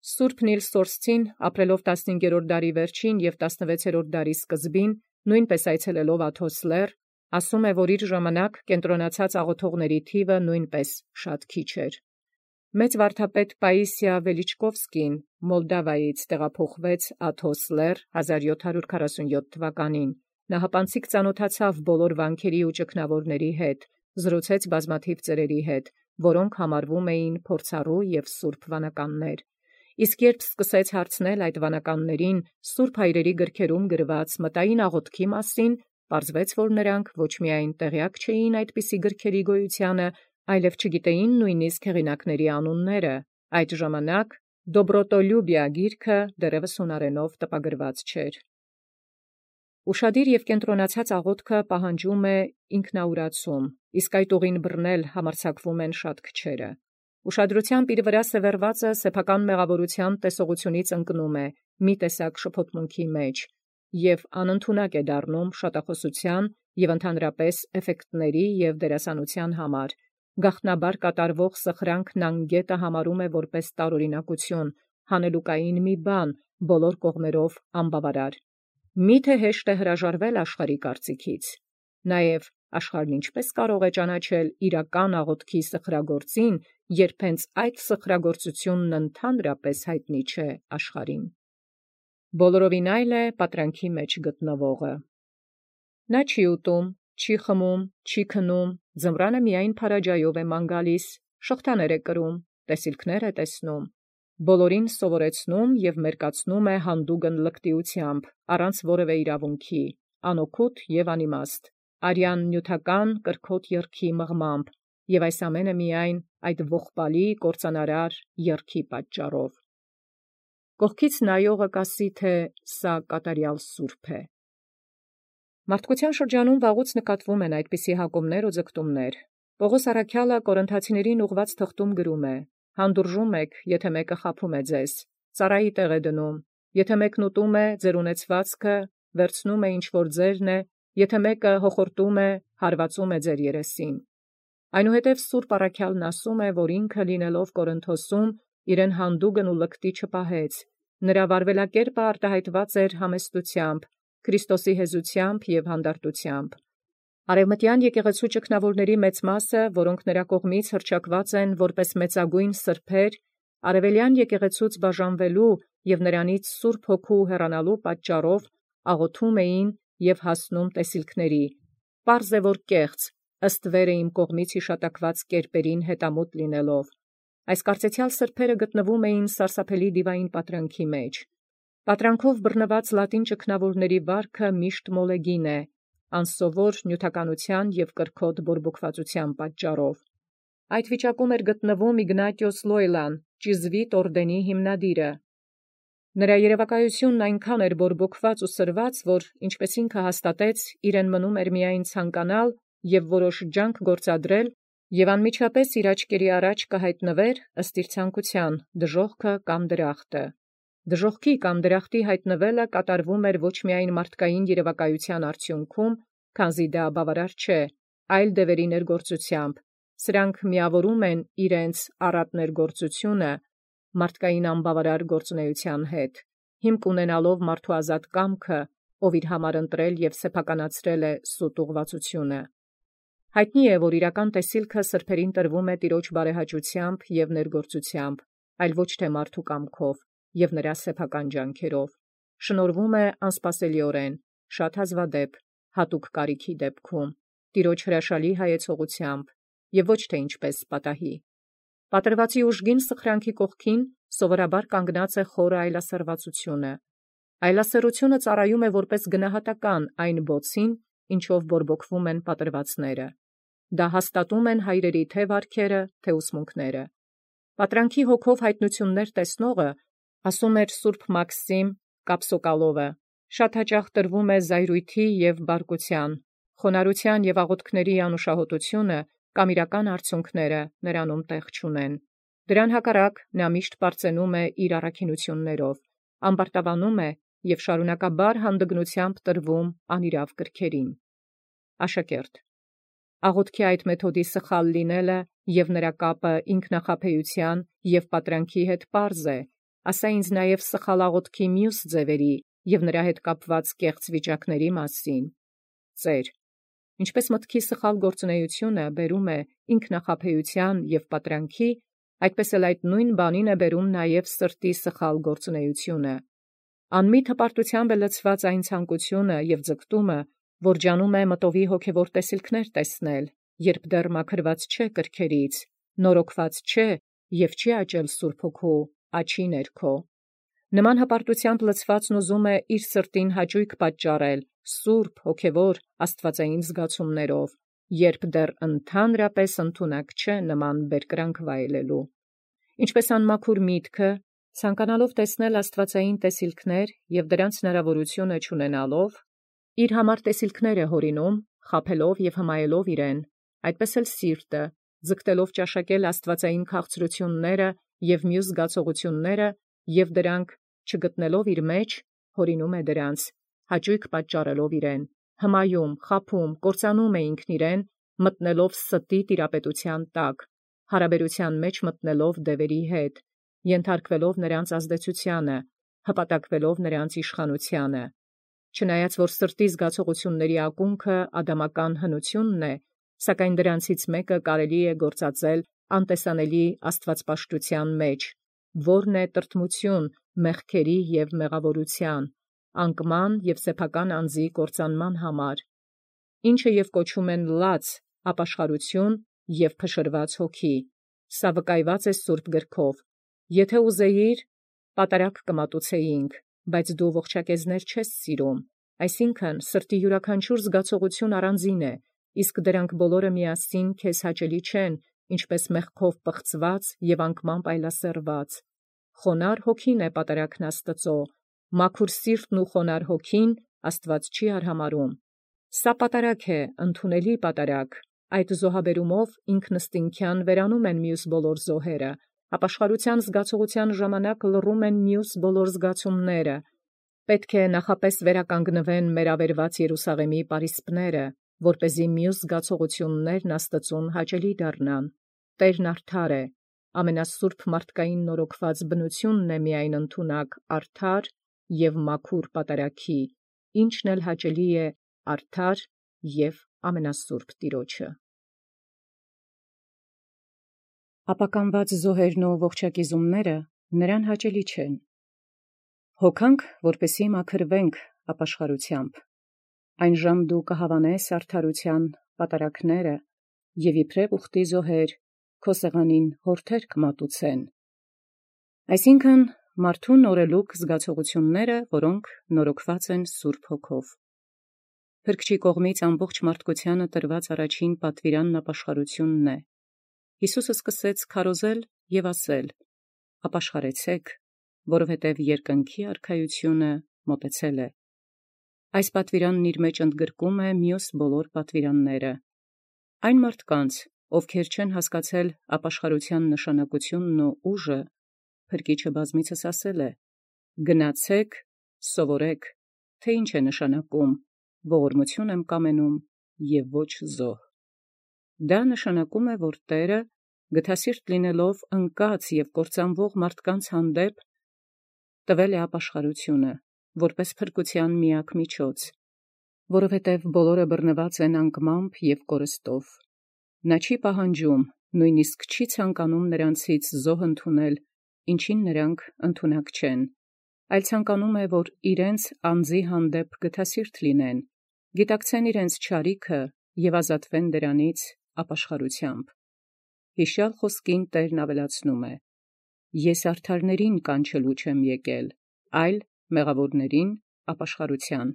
S1: Սուրբ Նիլ Սորսցին, ապրելով 15-րդ դարի վերջին եւ 16-րդ դարի սկզբին, նույնպես այցելելով Աթոս լեռ, ասում է, որ իր ժամանակ կենտրոնացած աղոթողների թիվը նույնպես շատ քիչ էր։ Մեծ վարդապետ Պաիսիա Վելիչկովսկին Մոլդավայից տեղափոխվեց Աթոս լեռ 1747 թվականին։ Նահապանցիկ ծանոթացավ բոլոր վանքերի ու ճգնավորների հետ, զրուցեց բազմաթիվ ծերերի հետ, որոնք համարվում էին փորձառու եւ սուրբ վանականներ։ Իսկ երբ սկսեց հարցնել այդ վանականներին սուրբ հայրերի գրքերում գրված մտային աղոթքի մասին, պարզվեց, որ նրանք ոչ միայն տեղյակ չէին այդպիսի գրքերի գոյությանը, այլև չգիտեին նույնիսկ հեղինակների անունները։ Այդ ժամանակ Դոբրոտոլյուբիա գիրքը դեռևս հունարենով տպագրված չէր։ Ուշադիր եւ կենտրոնացած աղոթքը պահանջում է ինքնաուրացում, իսկ այդ ուղին բռնել համարձակվում են շատ քչերը։ Ուշադրությամբ իր վրա սևեռվածը սեփական մեղավորության տեսողությունից ընկնում է մի տեսակ շփոթմունքի մեջ եւ անընդունակ է դառնում շատախոսության եւ ընդհանրապես էֆեկտների եւ դերասանության համար։ Գաղտնաբար կատարվող սխրանքն անգետը համարում է որպես տարօրինակություն, հանելուկային մի բան, բոլոր կողմերով անբավարար։ Միթե հեշտ է հրաժարվել աշխարհի կարծիքից։ Նաև աշխարհն ինչպես կարող է ճանաչել իրական աղոթքի սխրագործին, երբ հենց այդ սխրագործությունն ընդհանրապես հայտնի չէ աշխարհին։ Բոլորովին այլ է պատրանքի մեջ գտնվողը։ Նա չի ուտում, չի խմում, չի քնում, ձմռանը միայն փարաջայով է ման գալիս, շղթաներ է կրում, տեսիլքներ է տեսնում, բոլորին սովորեցնում եւ մերկացնում է հանդուգն լկտիությամբ, առանց որևէ իրավունքի, անօգուտ եւ անիմաստ, արյան նյութական կրքոտ երգի մղմամբ, եւ այս ամենը միայն այդ ողբալի կործանարար երգի պատճառով։ Կողքից նայողը կասի, թե սա կատարյալ սուրբ է։ Մարդկության շրջանում վաղուց նկատվում են այդպիսի հակումներ ու ձգտումներ։ Պողոս առաքյալը Կորինթացիներին ուղված թղթում գրում է. «Հանդուրժում եք, եթե մեկը խաբում է ձեզ, ծառայի տեղ է դնում, եթե մեկն ուտում է, ձեր ունեցվածքը վերցնում է ինչ որ ձերն է, եթե մեկը հոխորտում է, հարվածում է ձեր երեսին»։ Այնուհետև Սուրբ առաքյալն ասում է, որ ինքը լինելով Կորինթոսում իրեն հանդուգն ու լկտի չպահեց, նրա վարվելակերպը արտահայտված էր համեստությամբ, Քրիստոսի հեզությամբ եւ հանդարտությամբ։ Արևմտյան եկեղեցու ճգնավորների մեծ մասը, որոնք նրա կողմից հռչակված են որպես մեծագույն սրբեր, արևելյան եկեղեցուց բաժանվելու եւ նրանից Սուրբ Հոգու հեռանալու պատճառով աղոթում էին եւ հասնում տեսիլքների։ Պարզ է, որ կեղծ, ըստ վերը իմ կողմից հիշատակված կերպերին հետամուտ լինելով։ Այս կարծեցյալ սրբերը գտնվում էին սարսափելի դիվային պատրանքի մեջ։ Պատրանքով բռնված լատին ճգնավորների վարքը միշտ մոլեգին է, անսովոր նյութականության եւ կրքոտ բորբոքվածության պատճառով։ Այդ վիճակում էր գտնվում Իգնատիոս Լոյլան, ճիզվիտ օրդենի հիմնադիրը։ Նրա երևակայությունն այնքան էր բորբոքված ու սրված, որ ինչպես ինքը հաստատեց, իրեն մնում էր միայն ցանկանալ եւ որոշ ջանք գործադրել, եւ անմիջապես իր աչքերի առաջ կհայտնվեր ըստ իր ցանկութեան դժոխքը կամ դրախտը։ Դժոխքի կամ դրախտի հայտնվելը կատարվում էր ոչ միայն մարդկային երևակայության արդյունքում, քանզի դա բավարար չէ, այլ դևերի ներգործությամբ։ Սրանք միավորում են իրենց առատ ներգործությունը մարդկային անբավարար գործունեության հետ, հիմք ունենալով մարդու ազատ կամքը, ով իր համար ընտրել եւ սեփականացրել է սուտ ուղղվածությունը։ Հայտնի է, որ իրական տեսիլքը սրբերին տրվում է Տիրոջ բարեհաճությամբ եւ ներգործությամբ, այլ ոչ թե մարդու կամքով եւ նրա սեփական ջանքերով։ Շնորհվում է անսպասելիորեն, շատ հազվադեպ, հատուկ կարիքի դեպքում, Տիրոջ հրաշալի հայեցողությամբ եւ ոչ թե ինչպես պատահի։ Պատրվածի ուժգին սխրանքի կողքին սովորաբար կանգնած է խորը այլասերվածությունը։ Այլասերությունը ծառայում է որպես գնահատական այն բոցին, ինչով բորբոքվում են պատրվածները։ Դա հաստատում են հայրերի թե վարքերը, թե ուսմունքները։ Պատրանքի հոգով հայտնություններ տեսնողը, ասում էր Սուրբ Մաքսիմ Կապսոկալովը, շատ հաճախ տրվում է զայրույթի եւ բարկության, խոնարհության եւ աղոթքների անուշահոտությունը կամ իրական արդյունքները նրանում տեղ չունեն։ Դրան հակառակ նա միշտ պարծենում է իր առաքինություններով, ամբարտավանում է եւ շարունակաբար հանդգնությամբ տրվում անիրավ կրքերին։ Աշակերտ. աղոթքի այդ մեթոդի սխալ լինելը եւ նրա կապը ինքնախապեյության եւ պատրանքի հետ պարզ է, ասա ինձ նաեւ սխալ աղոթքի մյուս ձևերի եւ նրա հետ կապված կեղծ վիճակների մասին։ Ծեր. ինչպես մտքի սխալ գործունեությունը բերում է ինքնախապեյության եւ պատրանքի, այդպես էլ այդ նույն բանին է բերում նաեւ սրտի սխալ գործունեությունը։ Անմիտ հպարտությամբ է լցված այն ցանկությունը եւ ձգտումը, որ ջանում է մտովի հոգևոր տեսիլքներ տեսնել, երբ դեռ մաքրված չէ կրքերից, նորոգված չէ եւ չի աճել Սուրբ Հոգու աչի ներքո։ Նման հպարտությամբ լցվածն ուզում է իր սրտին հաճույք պատճառել սուրբ, հոգևոր, աստվածային զգացումներով, երբ դեռ ընդհանրապես ընդունակ չէ նման բերկրանք վայելելու։ Ինչպես անմաքուր միտքը, ցանկանալով տեսնել աստվածային տեսիլքներ եւ դրանց հնարավորությունը չունենալով, իր համար տեսիլքներ է հորինում, խաբելով եւ հմայելով իրեն, այդպես էլ սիրտը, ձգտելով ճաշակել աստվածային քաղցրությունները եւ մյուս զգացողությունները եւ դրանք չգտնելով իր մեջ, հորինում է դրանց, հաճույք պատճառելով իրեն, հմայում, խաբում, կործանում է ինքն իրեն, մտնելով ստի տիրապետության տակ, հարաբերության մեջ մտնելով դևերի հետ, ենթարկվելով նրանց ազդեցությանը, հպատակվելով նրանց իշխանությանը։ Չնայած որ սրտի զգացողությունների ակունքը ադամական հնությունն է, սակայն դրանցից մեկը կարելի է գործածել անտեսանելի աստվածպաշտության մեջ, որն է տրտմություն մեղքերի եւ մեղավորության, անկման եւ սեփական անձի կործանման համար, ինչը եւ կոչում են լաց, ապաշխարություն եւ փշրված հոգի։ Սա վկայված է Սուրբ գրքով. եթե ուզեիր, պատարակ կմատուցեինք, բայց դու ողջակեզներ չես սիրում, այսինքն սրտի յուրաքանչյուր զգացողություն առանձին է, իսկ դրանք բոլորը միասին քեզ հաճելի չեն, ինչպես մեղքով պղծված եւ անկմամբ այլասերված։ Խոնար հոգին է պատարակն Աստծո, մաքուր սիրտն ու խոնար հոգին Աստված չի արհամարհում։ Սա պատարակ է, ընդունելի պատարակ, այդ զոհաբերումով ինքնըստինքյան վերանում են մյուս բոլոր զոհերը, ապաշխարության զգացողության ժամանակ լռում են մյուս բոլոր զգացումները։ Պետք է նախապես վերականգնվեն մեր ավերված Երուսաղեմի պարիսպները, որպեսզի մյուս զգացողություններն Աստծուն հաճելի դառնան։ Տերն արդար է, ամենասուրբ մարդկային նորոգված բնությունն է միայն ընդունակ արդար եւ մաքուր պատարակի, ինչն էլ հաճելի է արդար եւ ամենասուրբ Տիրոջը։ Ապականված զոհերն ու ողջակիզումները նրան հաճելի չեն։ Հոգանք, որպեսի մաքրվենք ապաշխարությամբ, այն ժամ դու կհավանես արդարության պատարակները եւ իբրև ուխտի զոհեր քո սեղանին հորթեր կմատուցեն։ Այսինքն մարդու նորելուկ զգացողությունները, որոնք նորոգված են Սուրբ Հոգով։ Փրկչի կողմից ամբողջ մարդկությանը տրված առաջին պատվիրանն ապաշխարությունն է։ Հիսուսը սկսեց քարոզել եւ ասել. «Ապաշխարեցեք, որովհետև երկնքի արքայությունը մոտեցել է։ Այս պատվիրանն իր մեջ ընդգրկում է մյուս բոլոր պատվիրանները։ Այն մարդկանց, ովքեր չեն հասկացել ապաշխարության նշանակությունն ու ուժը, Փրկիչը բազմիցս ասել է. «Գնացեք, սովորեք, թե ինչ է նշանակում, ողորմություն եմ կամենում և ոչ զոհ»։ Դա նշանակում է, որ Տէրը, գթասիրտ լինելով ընկած և կործանվող մարդկանց հանդեպ, տվել է ապաշխարությունը, որպես փրկության միակ միջոց, որովհետև բոլորը բռնված են անկմամբ և կորստով։ Նա չի պահանջում, նույնիսկ չի ցանկանում նրանցից զոհ ընդունել, ինչին նրանք ընդունակ չեն, այլ ցանկանում է, որ իրենց անձի հանդեպ գթասիրտ լինեն, գիտակցեն իրենց չարիքը և ազատվեն դրանից ապաշխարությամբ։ Հիշյալ խոսքին Տերն ավելացնում է. «Ես արդարներին կանչելու չեմ եկել, այլ մեղավորներին ապաշխարության»։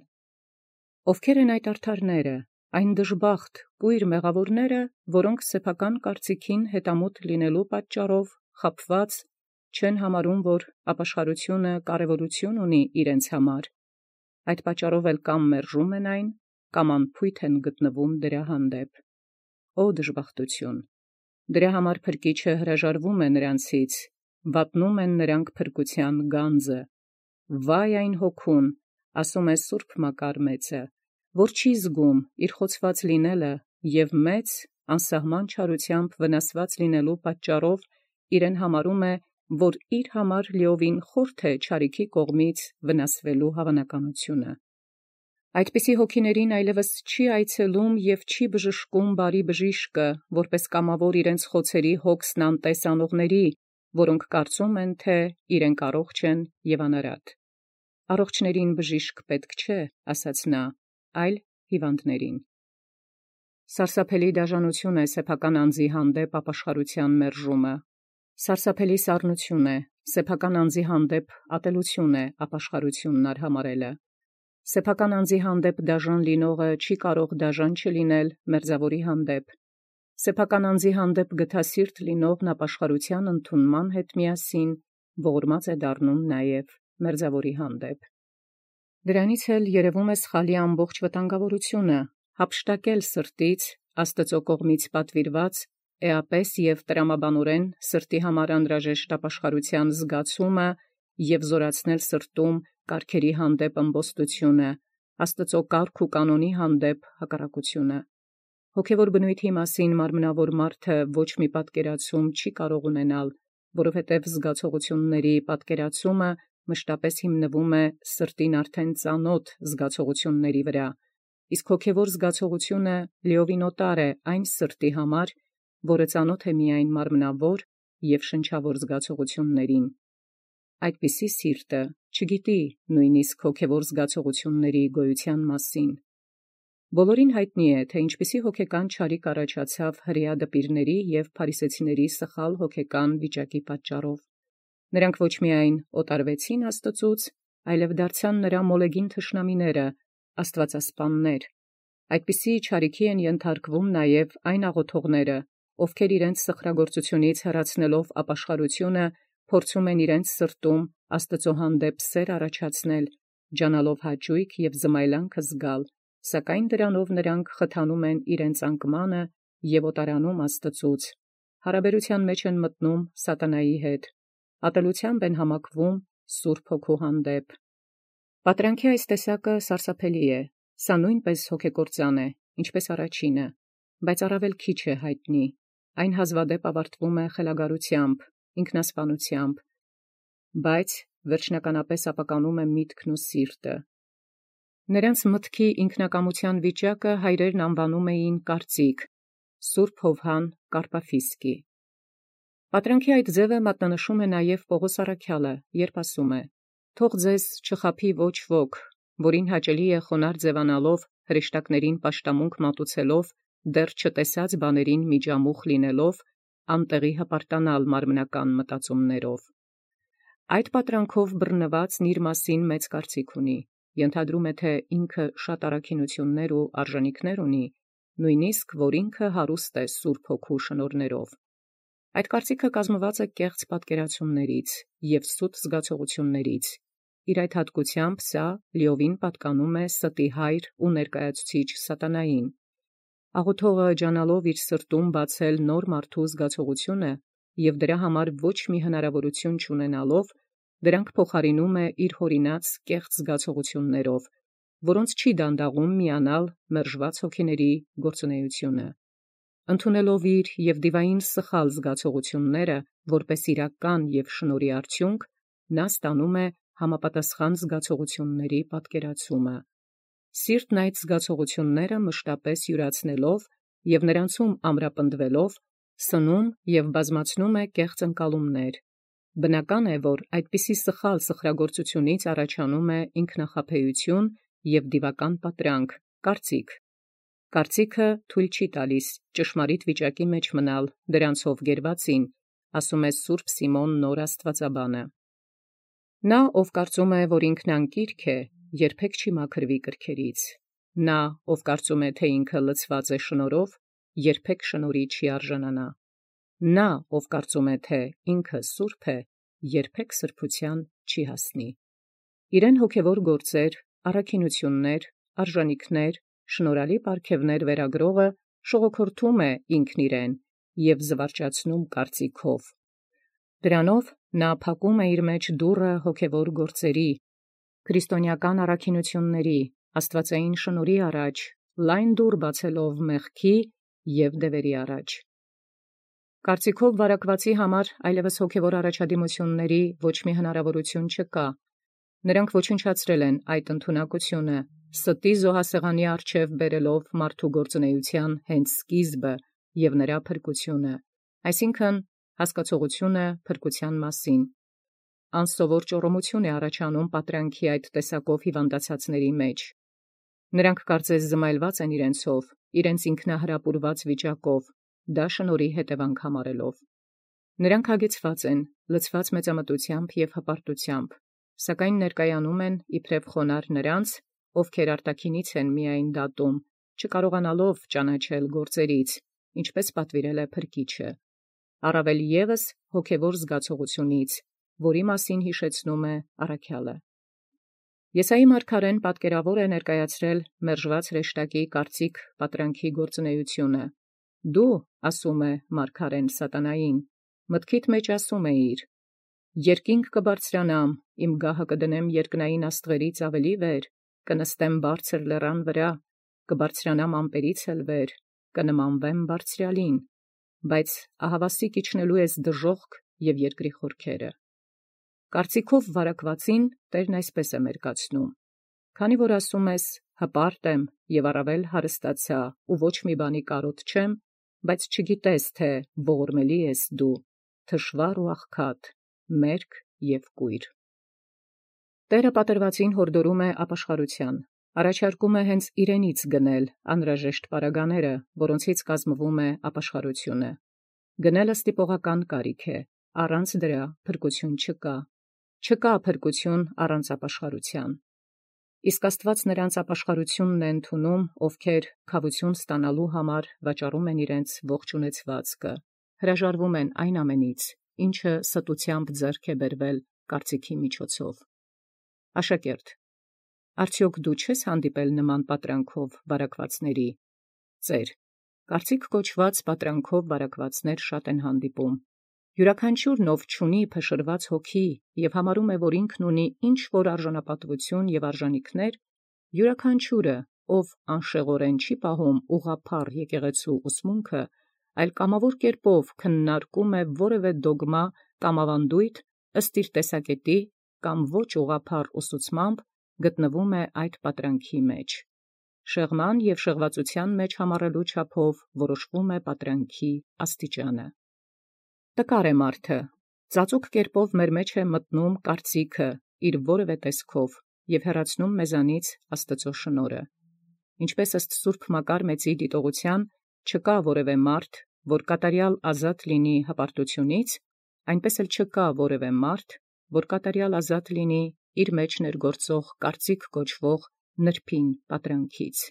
S1: Ովքեր են այդ արդարները, այն դժբախտ, կույր մեղավորները, որոնք սեփական կարծիքին հետամուտ լինելու պատճառով խաբված չեն համարում, որ ապաշխարությունը կարևորություն ունի իրենց համար, այդ պատճառով էլ կամ մերժում են այն, կամ անփույթ են գտնվում դրա հանդեպ։ Օ դժբախտություն. դրա համար Փրկիչը հրաժարվում է նրանցից, վատնում են նրանք փրկության գանձը։ Վայ այն հոգուն, ասում է Սուրբ Մակար մեծը, որ չի զգում իր խոցված լինելը և մեծ անսահման չարությամբ վնասված լինելու պատճառով իրեն համարում է, որ իր համար լիովին խորթ է չարիքի կողմից վնասվելու հավանականությունը։ Այդպիսի հոգիներին այլևս չի այցելում և չի բժշկում բարի բժիշկը, որպես կամավոր իրենց խոցերի հոգսն անտես անողների, որոնք կարծում են, թե իրենք առողջ են և անարատ։ Առողջներին բժիշկ պետք չէ, ասաց նա, այլ հիվանդներին։ Սարսափելի դաժանություն է սեփական անձի հանդեպ ապաշխարության մերժումը։ Սարսափելի սառնություն է, սեփական անձի հանդեպ ատելություն է ապաշխարությունն արհամարելը։ Սեփական անձի հանդեպ դաժան լինողը չի կարող դաժան չլինել մերձավորի հանդեպ։ Սեփական անձի հանդեպ գթասիրտ լինողն ապաշխարության ընդունման հետ միասին ողորմած է դառնում նաև մերձավորի հանդեպ։ Դրանից էլ երևում է սխալի ամբողջ վտանգավորությունը, հափշտակել սրտից Աստծո կողմից պատվիրված էապես և տրամաբանորեն սրտի համար անհրաժեշտ ապաշխարության զգացումը և զորացնել սրտում կարգերի հանդեպ ըմբոստությունը, Աստծո կարգ ու կանոնի հանդեպ հակառակությունը։ Հոգևոր բնույթի մասին մարմնավոր մարդը ոչ մի պատկերացում չի կարող ունենալ, որովհետև զգացողությունների պատկերացումը մշտապես հիմնվում է սրտին արդեն ծանոթ զգացողությունների վրա, իսկ հոգևոր զգացողությունը լիովին օտար է այն սրտի համար, որը ծանոթ է միայն մարմնավոր և շնչավոր զգացողություններին։ Այդպիսի սիրտը չգիտի նույնիսկ հոգևոր զգացողությունների գոյության մասին։ Բոլորին հայտնի է, թե ինչպիսի հոգեկան չարիք առաջացավ հրեա դպիրների և փարիսեցիների սխալ հոգեկան վիճակի պատճառով։ Նրանք ոչ միայն օտարվեցին Աստծուց, այլև դարձան նրա մոլեգին թշնամիները, աստվածասպաններ։ Այդպիսի չարիքի են ենթարկվում նաև այն աղոթողները, ովքեր իրենց սխրագործությունից հեռացնելով ապաշխարությունը, փորձում են իրենց սրտում Աստծո հանդեպ սեր առաջացնել, ջանալով հաճույք և զմայլանքը զգալ, սակայն դրանով նրանք խթանում են իրենց անկմանը և օտարանում Աստծուց, հարաբերության մեջ են մտնում սատանայի հետ, ատելությամբ են համակվում Սուրբ Հոգու հանդեպ։ Պատրանքի այս տեսակը սարսափելի է, սա նույնպես հոգեկործան է, ինչպես առաջինը, բայց առավել քիչ է հայտնի, այն հազվադեպ ավարտվում է խելագարությամբ, ինքնասպանությամբ, բայց վերջնականապես ապականում է միտքն ու սիրտը։ Նրանց մտքի ինքնակամության վիճակը հայրերն անվանում էին կարծիք, Սուրբ Հովհան Կարպաֆիսկի։ Պատրանքի այդ ձևը մատնանշում է նաև Պողոս առաքյալը, երբ ասում է. «Թող ձեզ չխաբի ոչ ոք, որին հաճելի է խոնարհ ձևանալով հրեշտակներին պաշտամունք մատուցելով, դեռ չտեսած բաներին միջամուխ լինելով, անտեղի հպարտանալ մարմնական մտածումներով»։ Այդ պատրանքով բռնվածն իր մասին մեծ կարծիք ունի, ենթադրում է, թե ինքը շատ առաքինություններ ու արժանիքներ ունի, նույնիսկ որ ինքը հարուստ է Սուրբ Հոգու շնորհներով։ Այդ կարծիքը կազմված է կեղծ պատկերացումներից և սուտ զգացողություններից։ Իր այդ հատկությամբ սա լիովին պատկանում է ստի հայր ու ներկայացուցիչ սատանային։ Աղոթողը ջանալով իր սրտում բացել նոր մարդու զգացողությունը և դրա համար ոչ մի հնարավորություն չունենալով, դրանք փոխարինում է իր հորինած կեղծ զգացողություններով, որոնց չի դանդաղում միանալ մերժված հոգիների գործունեությունը։ Ընդունելով իր և դիվային սխալ զգացողությունները որպես իրական և շնորհի արդյունք, նա ստանում է համապատասխան զգացողությունների պատկերացումը։ Սիրտն այդ զգացողությունները մշտապես յուրացնելով և նրանցում ամրապնդվելով, սնում և բազմացնում է կեղծ ընկալումներ։ Բնական է, որ այդպիսի սխալ սխրագործությունից առաջանում է ինքնախաբեություն և դիվական պատրանք, կարծիք։ Կարծիքը թույլ չի տալիս ճշմարիտ վիճակի մեջ մնալ դրանցով գերվածին, ասում է Սուրբ Սիմոն Նոր Աստվածաբանը։ Նա, ով կարծում է, որ ինքն անկիրք է, երբեք չի մաքրվի կրքերից։ Նա, ով կարծում է, թե ինքը լցված է շնորհով, երբեք շնորհի չի արժանանա։ Նա, ով կարծում է, թե ինքը սուրբ է, երբեք սրբության չի հասնի։ Իրեն հոգևոր գործեր, առաքինություններ, արժանիքներ, շնորհալի պարգևներ վերագրողը շողոքորթում է ինքն իրեն և զվարճացնում կարծիքով։ Դրանով նա փակում է իր մեջ դուռը հոգևոր գործերի, քրիստոնեական առաքինությունների, աստվածային շնորհի առաջ, լայն դուռ բացելով մեղքի և դևերի առաջ։ Կարծիքով վարակվածի համար այլևս հոգևոր առաջադիմությունների ոչ մի հնարավորություն չկա։ Նրանք ոչնչացրել են այդ ընդունակությունը, ստի զոհասեղանի առջև բերելով մարդու գործունեության հենց սկիզբը և նրա փրկությունը, այսինքն հասկացողությունը փրկության մասին։ Անսովոր ճոռոմություն է առաջանում պատրանքի այդ տեսակով հիվանդացածների մեջ։ Նրանք կարծես զմայլված են իրենցով, իրենց ինքնահրապուրված վիճակով, դա շնորհի հետևանք համարելով։ Նրանք հագեցված են, լցված մեծամտությամբ և հպարտությամբ, սակայն ներկայանում են իբրև խոնարհ նրանց, ովքեր արտաքինից են միայն դատում, չկարողանալով ճանաչել գործերից, ինչպես պատվիրել է Փրկիչը, առավել ևս հոգևոր զգացողությունից, որի մասին հիշեցնում է առաքյալը։ Եսայի մարգարեն պատկերավոր է ներկայացրել մերժված հրեշտակի կարծիք պատրանքի գործունեությունը։ Դու, ասում է մարգարեն սատանային, մտքիդ մեջ ասում էիր. երկինք կբարձրանամ, իմ գահը կդնեմ երկնային աստղերից ավելի վեր, կնստեմ բարձր լեռան վրա, կբարձրանամ ամպերից էլ վեր, կնմանվեմ բարձրյալին, բայց ահավասիկ իջնելու ես դժոխք և երկրի խորքերը։ Կարծիքով վարակվածին Տերն այսպես է մերկացնում. քանի որ ասում ես, հպարտ եմ և առավել հարստացա ու ոչ մի բանի կարոտ չեմ, բայց չգիտես, թե ողորմելի ես դու, թշվառ ու աղքատ, մերկ և կույր։ Տերը պատրվածին հորդորում է ապաշխարության, առաջարկում է հենց իրենից գնել անհրաժեշտ պարագաները, որոնցից կազմվում է ապաշխարությունը։ Գնելը ստիպողական կարիք է, առանց դրա փրկություն չկա։ Չկա փրկություն առանց ապաշխարության։ Իսկ Աստված նրանց ապաշխարությունն է ընդունում, ովքեր քավություն ստանալու համար վաճառում են իրենց ողջ ունեցվածքը, հրաժարվում են այն ամենից, ինչը ստությամբ ձեռք է բերվել կարծիքի միջոցով։ Աշակերտ, արդյոք դու չես հանդիպել նման պատրանքով վարակվածների։ Ծեր, կարծիք կոչված պատրանքով վարակվածներ շատ են հանդիպում։ Յուրաքանչյուրն ով չունի փշրված հոգի և համարում է, որ ինքն ունի ինչ-որ արժանապատվություն և արժանիքներ, յուրաքանչյուրը, ով անշեղորեն չի պահում ուղղափառ եկեղեցու ուսմունքը, այլ կամավոր կերպով քննարկում է որևէ դոգմա կամ ավանդույթ ըստ իր տեսակետի կամ ոչ ուղղափառ ուսուցմամբ, գտնվում է այդ պատրանքի մեջ։ Շեղման և շեղվածության մեջ համառելու չափով որոշվում է պատրանքի աստիճանը։ Տկար է մարդը, ծածուկ կերպով մեր մեջ է մտնում կարծիքը իր որևէ տեսքով և հեռացնում մեզանից Աստծո շնորհը։ Ինչպես ըստ Սուրբ Մակար մեծի դիտողության չկա որևէ մարդ, որ կատարյալ ազատ լինի հպարտությունից, այնպես էլ չկա որևէ մարդ, որ կատարյալ ազատ լինի իր մեջ ներգործող կարծիք կոչվող նրբին պատրանքից։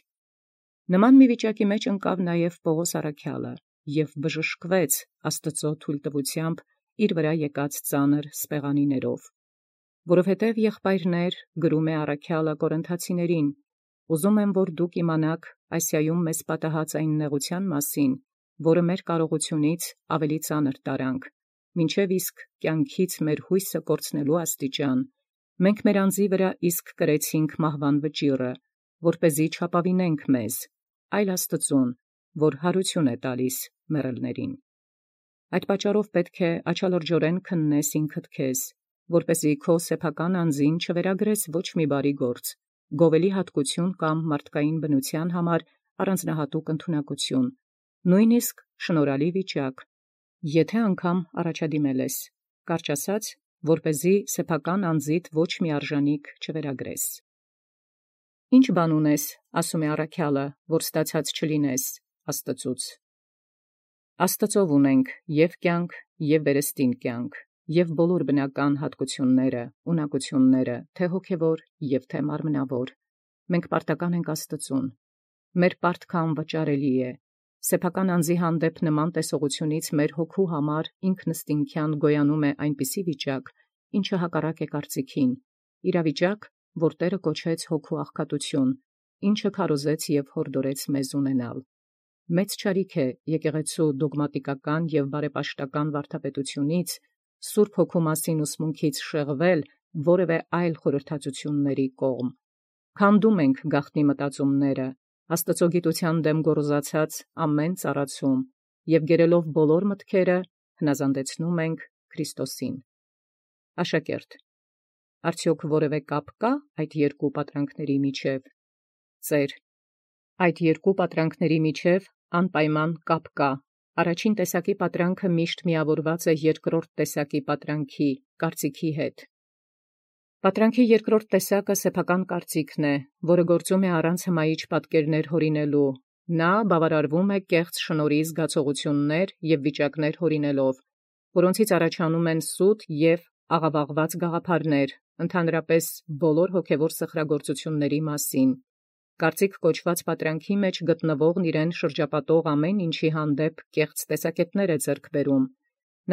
S1: Նման մի վիճակի մեջ ընկավ նաև Պողոս առաքյալը և բժշկվեց Աստուծո թույլտվութեամբ իր վրա եկած ծանր սպեղանիներով։ Որովհետև եղբայրներ, գրում է առաքյալը Կորինթացիներին, ուզում եմ, որ դուք իմանաք Ասիայում մեզ պատահած այն նեղության մասին, որը մեր կարողությունից ավելի ծանր տարանք, մինչև իսկ կյանքից մեր հույսը կորցնելու աստիճան, մենք մեր անձի վրա իսկ կրեցինք մահվան վճիռը, որպեսզի չապավինենք մեզ, այլ Աստծուն, որ հարություն է տալիս մեռելներին։ Այդ պատճառով պետք է աչալրջորեն քննես ինքդ քեզ, որպեսզի քո սեփական անձին չվերագրես ոչ մի բարի գործ, գովելի հատկություն կամ մարդկային բնության համար առանձնահատուկ ընդունակություն, նույնիսկ շնորհալի վիճակ, եթե անգամ առաջադիմել ես, կարճ ասած, որպեսզի սեփական անձիդ ոչ մի արժանիք չվերագրես։ Ինչ բան ունես, ասում է առաքյալը, որ ստացած չլինես Աստծուց։ Աստծով ունենք և կյանք, և վերստին կյանք, և բոլոր բնական հատկությունները, ունակությունները, թե հոգևոր և թե մարմնավոր։ Մենք պարտական ենք Աստծուն։ Մեր պարտքը անվճարելի է։ Սեփական անձի հանդեպ նման տեսողությունից մեր հոգու համար ինքնըստինքյան գոյանում է այնպիսի վիճակ, ինչը հակառակ է կարծիքին, իրավիճակ, որ Տէրը կոչեց հոգու աղքատություն, ինչը քարոզեց և հորդորեց մեզ ունենալ։ Մեծ չարիք է եկեղեցու դոգմատիկական և բարեպաշտական վարդապետությունից, Սուրբ Հոգու մասին ուսմունքից շեղվել որևէ այլ խորհրդածությունների կողմ։ Քանդում ենք գաղտնի մտածումները, Աստծո գիտության դեմ գոռոզացած ամեն ծառացում, և գերելով բոլոր մտքերը, հնազանդեցնում ենք Քրիստոսին։ Աշակերտ. արդյոք որևէ կապ կա այդ երկու պատրանքների միջև։ Ծեր. այդ երկու պատրանքների միջև անպայման կապ կա։ Առաջին տեսակի պատրանքը միշտ միավորված է երկրորդ տեսակի պատրանքի կարծիքի հետ։ Պատրանքի երկրորդ տեսակը սեփական կարծիքն է, որը գործում է առանց հմայիչ պատկերներ հորինելու։ Նա բավարարվում է կեղծ շնորհի զգացողություններ և վիճակներ հորինելով, որոնցից առաջանում են սուտ և աղավաղված գաղափարներ, ընդհանրապես բոլոր հոգևոր սխրագործությունների մասին։ Կարծիք կոչված պատրանքի մեջ գտնվողն իրեն շրջապատող ամեն ինչի հանդեպ կեղծ տեսակետներ է ձեռք բերում։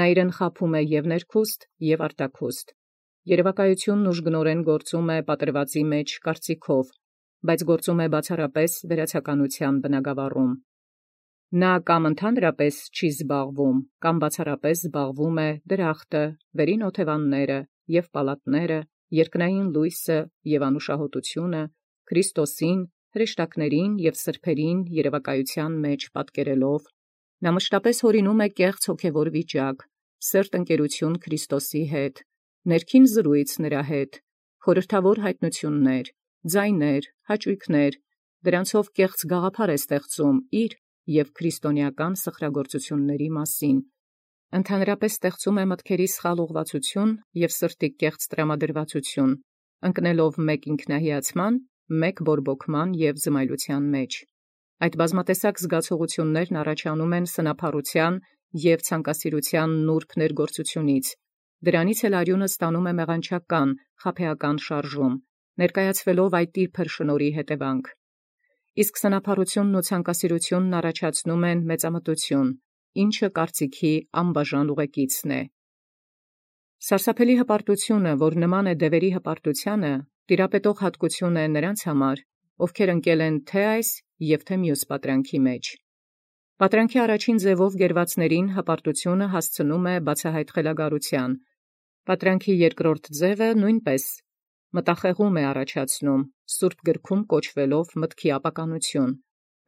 S1: Նա իրեն խաբում է և ներքուստ, և արտաքուստ։ Երևակայությունն ուժգնորեն գործում է պատրվածի մեջ կարծիքով, բայց գործում է բացառապես վերացականության բնագավառում։ Նա կամ ընդհանրապես չի զբաղվում, կամ բացառապես զբաղվում է դրախտը, վերին օթևանները և պալատները, երկնային լույսը և անուշահոտությունը, Քրիստոսին, հրեշտակներին և սրբերին երևակայության մեջ պատկերելով, նա մշտապես հորինում է կեղծ հոգևոր վիճակ, սերտ ընկերություն Քրիստոսի հետ, ներքին զրույց նրա հետ, խորհրդավոր հայտնություններ, ձայներ, հաճույքներ, դրանցով կեղծ գաղափար է ստեղծում իր և քրիստոնեական սխրագործությունների մասին, ընդհանրապես ստեղծում է մտքերի սխալ ուղղվածություն և սրտի կեղծ տրամադրվածություն, ընկնելով մեկ ինքնահիացման, մեկ բորբոքման և զմայլության մեջ։ Այդ բազմատեսակ զգացողություններն առաջանում են սնափառության և ցանկասիրության նուրբ ներգործությունից, դրանից էլ արյունը ստանում է մեղանչական, խաբեական շարժում, ներկայացվելով այդ իր փրշնորհի հետևանք։ Իսկ սնափառությունն ու ցանկասիրությունն առաջացնում են մեծամտություն, ինչը կարծիքի անբաժան ուղեկիցն է։ Սարսափելի հպարտությունը, որ նման է դևերի հպարտությանը, տիրապետող հատկություն է նրանց համար, ովքեր ընկել են թե այս և թե մյուս պատրանքի մեջ։ Պատրանքի առաջին ձևով գերվածներին հպարտությունը հասցնում է բացահայտ խելագարության։ Պատրանքի երկրորդ ձևը նույնպես մտախեղում է առաջացնում, Սուրբ գրքում կոչվելով մտքի ապականություն։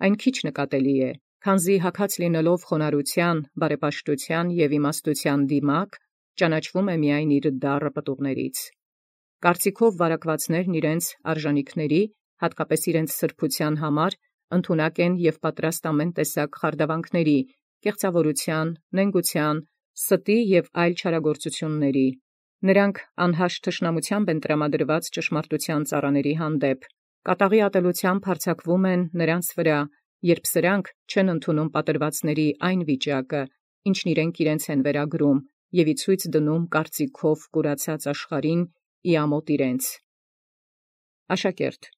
S1: Այն քիչ նկատելի է, քանզի հագած լինելով խոնարհության, բարեպաշտության և իմաստության դիմակ, ճանաչվում է միայն իր դառը պտուղներից։ Կարծիքով վարակվածներն իրենց արժանիքների, հատկապես իրենց սրբության համար, ընդունակ են և պատրաստ ամեն տեսակ խարդավանքների, կեղծավորության, նենգության, ստի և այլ չարագործությունների։ Նրանք անհաշտ թշնամությամբ են տրամադրված ճշմարտության ծառաների հանդեպ, կատաղի ատելությամբ հարձակվում են նրանց վրա, երբ սրանք չեն ընդունում պատրվածների այն վիճակը, ինչն իրենց են վերագրում, և ի ցույց դնում կարծիքով կուրացած աշխարհին ի ամոթ իրենց։ Աշակերտ.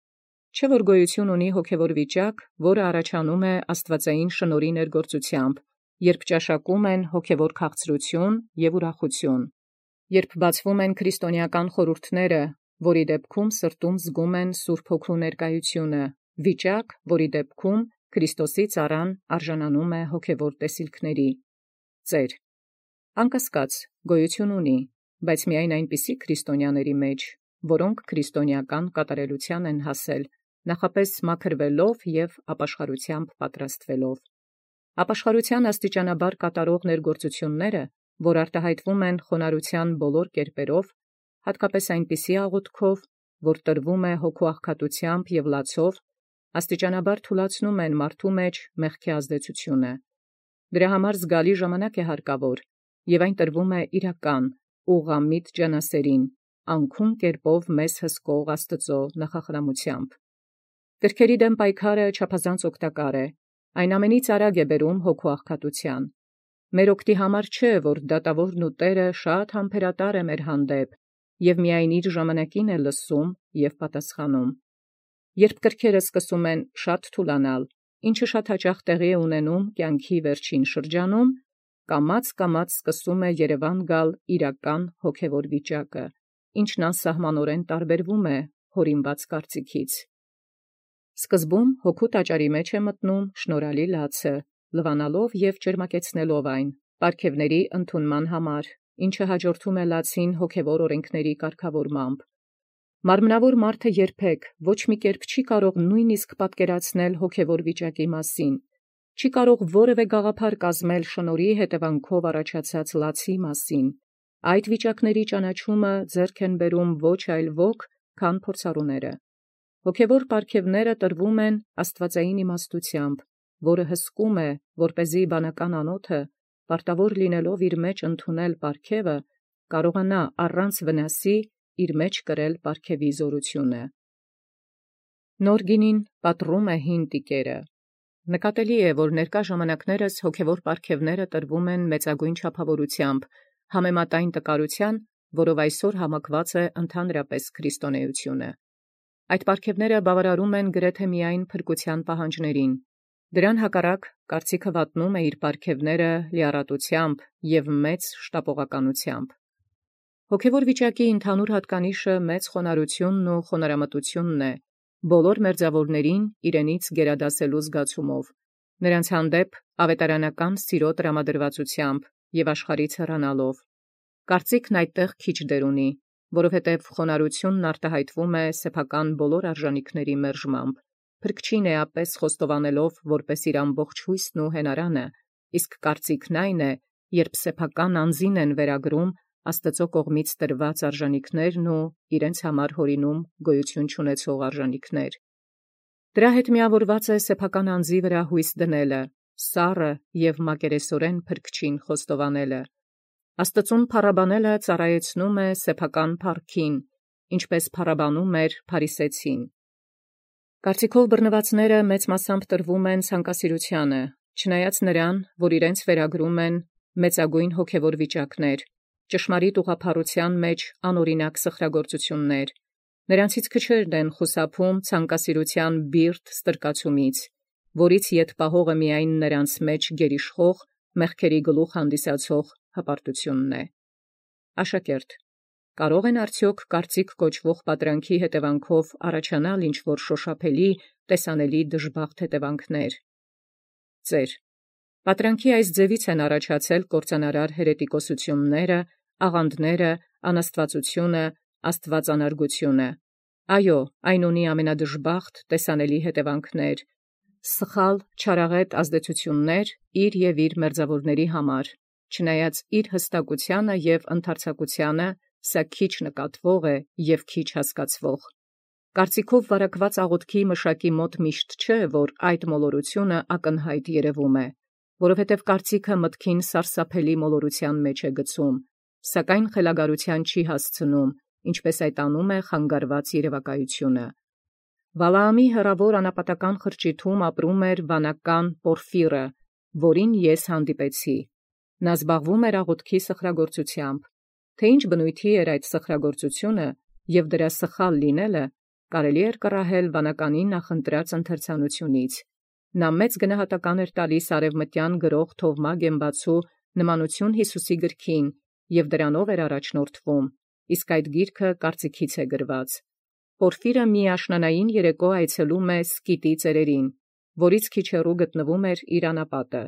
S1: Չէ՞ որ գոյություն ունի հոգևոր վիճակ, որը առաջանում է աստվածային շնորհի ներգործությամբ, երբ ճաշակում են հոգևոր քաղցրություն և ուրախություն, երբ բացվում են քրիստոնեական խորհուրդները, որի դեպքում սրտում զգում են Սուրբ Հոգու ներկայությունը, վիճակ, որի դեպքում Քրիստոսի ծառան արժանանում է հոգևոր տեսիլքների։ Ծեր. անկասկած գոյություն ունի, բայց միայն այնպիսի քրիստոնյաների մեջ, որոնք քրիստոնեական կատարելության են հասել, նախապես մաքրվելով և ապաշխարությամբ պատրաստվելով։ Ապաշխարության աստիճանաբար կատարող ներգործությունները, որ արտահայտվում են խոնարհության բոլոր կերպերով, հատկապես այնպիսի աղոթքով, որ տրվում է հոգու աղքատությամբ և լացով, աստիճանաբար թուլացնում են մարդու մեջ մեղքի ազդեցությունը։ Դրա համար զգալի ժամանակ է հարկավոր, և այն տրվում է իրական, ուղղամիտ ջանասերին, անքուն կերպով մեզ հսկող Աստծո նախախրամությամբ։ Կրքերի դեմ պայքարը չափազանց օգտակար է, այն ամենից արագ է բերում հոգու աղքատության։ Մեր օգտի համար չէ, որ դատավորն ու Տերը շատ համբերատար է մեր հանդեպ և միայն իր ժամանակին է լսում և պատասխանում։ Երբ կրքերը սկսում են շատ թուլանալ, ինչը շատ հաճախ տեղի է ունենում կյանքի վերջին շրջանում, կամաց սկսում է երևան գալ իրական հոգևոր վիճակը, ինչն անսահմանորեն տարբերվում է հորինված կարծիքից։ Սկզբում հոգու տաճարի մեջ է մտնում շնորհալի լացը, լվանալով և ճերմակեցնելով այն, պարգևների ընդունման համար, ինչը հաջորդում է լացին հոգևոր օրենքների կարգավորմամբ։ Մարմնավոր մարդը երբեք ոչ մի կերպ չի կարող նույնիսկ պատկերացնել հոգևոր վիճակի մասին, չի կարող որևէ գաղափար կազմել շնորհի հետևանքով առաջացած լացի մասին։ Այդ վիճակների ճանաչումը ձեռք են բերում ոչ այլ ոք, քան փորձառուները։ Հոգևոր պարգևները տրվում են աստվածային իմաստությամբ, որը հսկում է, որպեսզի բանական անոթը, պարտավոր լինելով իր մեջ ընդունել պարգևը, կարողանա առանց վնասի իր մեջ կրել պարգևի զորությունը։ Նոր գինին պատռում է հին տիկերը։ Նկատելի է, որ ներկա ժամանակներս հոգևոր պարգևները տրվում են մեծագույն չափավորությամբ, համեմատային տկարության, որով այսօր համակված է ընդհանրապես քրիստոնեությունը։ Այդ պարգևները բավարարում են գրեթե միայն փրկության պահանջներին։ Դրան հակառակ կարծիքը վատնում է իր պարգևները լիառատությամբ և մեծ շտապողականությամբ։ Հոգևոր վիճակի ընդհանուր հատկանիշը մեծ խոնարհությունն ու խոնարհամտությունն է, բոլոր մերձավորներին իրենից գերադասելու զգացումով, նրանց հանդեպ ավետարանական սիրո տրամադրվածությամբ և աշխարհից հեռանալով։ Կարծիքն այդտեղ քիչ դեր ունի, որովհետև խոնարհությունն արտահայտվում է սեփական բոլոր արժանիքների մերժմամբ, փրկչին էապես խոստովանելով որպես իր ամբողջ հույսն ու հենարանը, իսկ կարծիքն այն է, երբ սեփական անձին են վերագրում Աստծո կողմից տրված արժանիքներն ու իրենց համար հորինում գոյություն չունեցող արժանիքներ։ Դրա հետ միավորված է սեփական անձի վրա հույս դնելը, սառը և մակերեսորեն փրկչին խոստովանելը։ Աստծուն փառաբանելը ծառայեցնում է սեփական փառքին, ինչպես փառաբանում էր փարիսեցին։ Կարծիքով բռնվածները մեծ մասամբ տրվում են ցանկասիրությանը, չնայած նրան, որ իրենց վերագրում են մեծագույն հոգևոր վիճակներ, ճշմարիտ ուղղափառության մեջ անօրինակ սխրագործություններ։ Նրանցից քչերն են խուսափում ցանկասիրության բիրտ ստրկացումից, որից ետ պահողը միայն նրանց մեջ գերիշխող մեղքերի գլուխ հանդիսացող հպարտությունն է։ Աշակերտ. կարող են արդյոք կարծիք կոչվող պատրանքի հետևանքով առաջանալ ինչ-որ շոշափելի, տեսանելի դժբախտ հետևանքներ։ Ծեր. պատրանքի այս ձևից են առաջացել կործանարար հերետիկոսությունները, աղանդները, անաստվածությունը, աստվածանարգությունը։ Այո, այն ունի ամենադժբախտ տեսանելի հետևանքներ, սխալ, չարաղետ ազդեցություններ իր և իր մերձավորների համար, չնայած իր հստակությանը և ընդարձակությանը, սա քիչ նկատվող է և քիչ հասկացվող։ Կարծիքով վարակված աղոթքի մշակի մոտ միշտ չէ, որ այդ մոլորությունը ակնհայտ երևում է, որովհետև կարծիքը մտքին սարսափելի մոլորության մեջ է գցում, սակայն խելագարության չի հասցնում, ինչպես այդ անում է խանգարված երևակայությունը։ Վալաամի հեռավոր անապատական խրճիթում ապրում էր վանական Պորֆիրը, որին ես հանդիպեցի։ Նա զբաղվում էր աղոթքի սխրագործությամբ։ Թե ինչ բնույթի էր այդ սխրագործությունը և դրա սխալ լինելը, կարելի էր կռահել վանականի նախընտրած ընթերցանությունից, Նա մեծ գնահատական էր տալիս արևմտյան գրող Թովմա Գեմբացու նմանություն Յիսուսի գրքին և դրանով էր առաջնորդվում, իսկ այդ գիրքը կարծիքից է գրված։ Պորֆիրը մի աշնանային երեկո այցելում է Սկիտի ծերերին, որից քիչ հեռու գտնվում էր իր անապատը։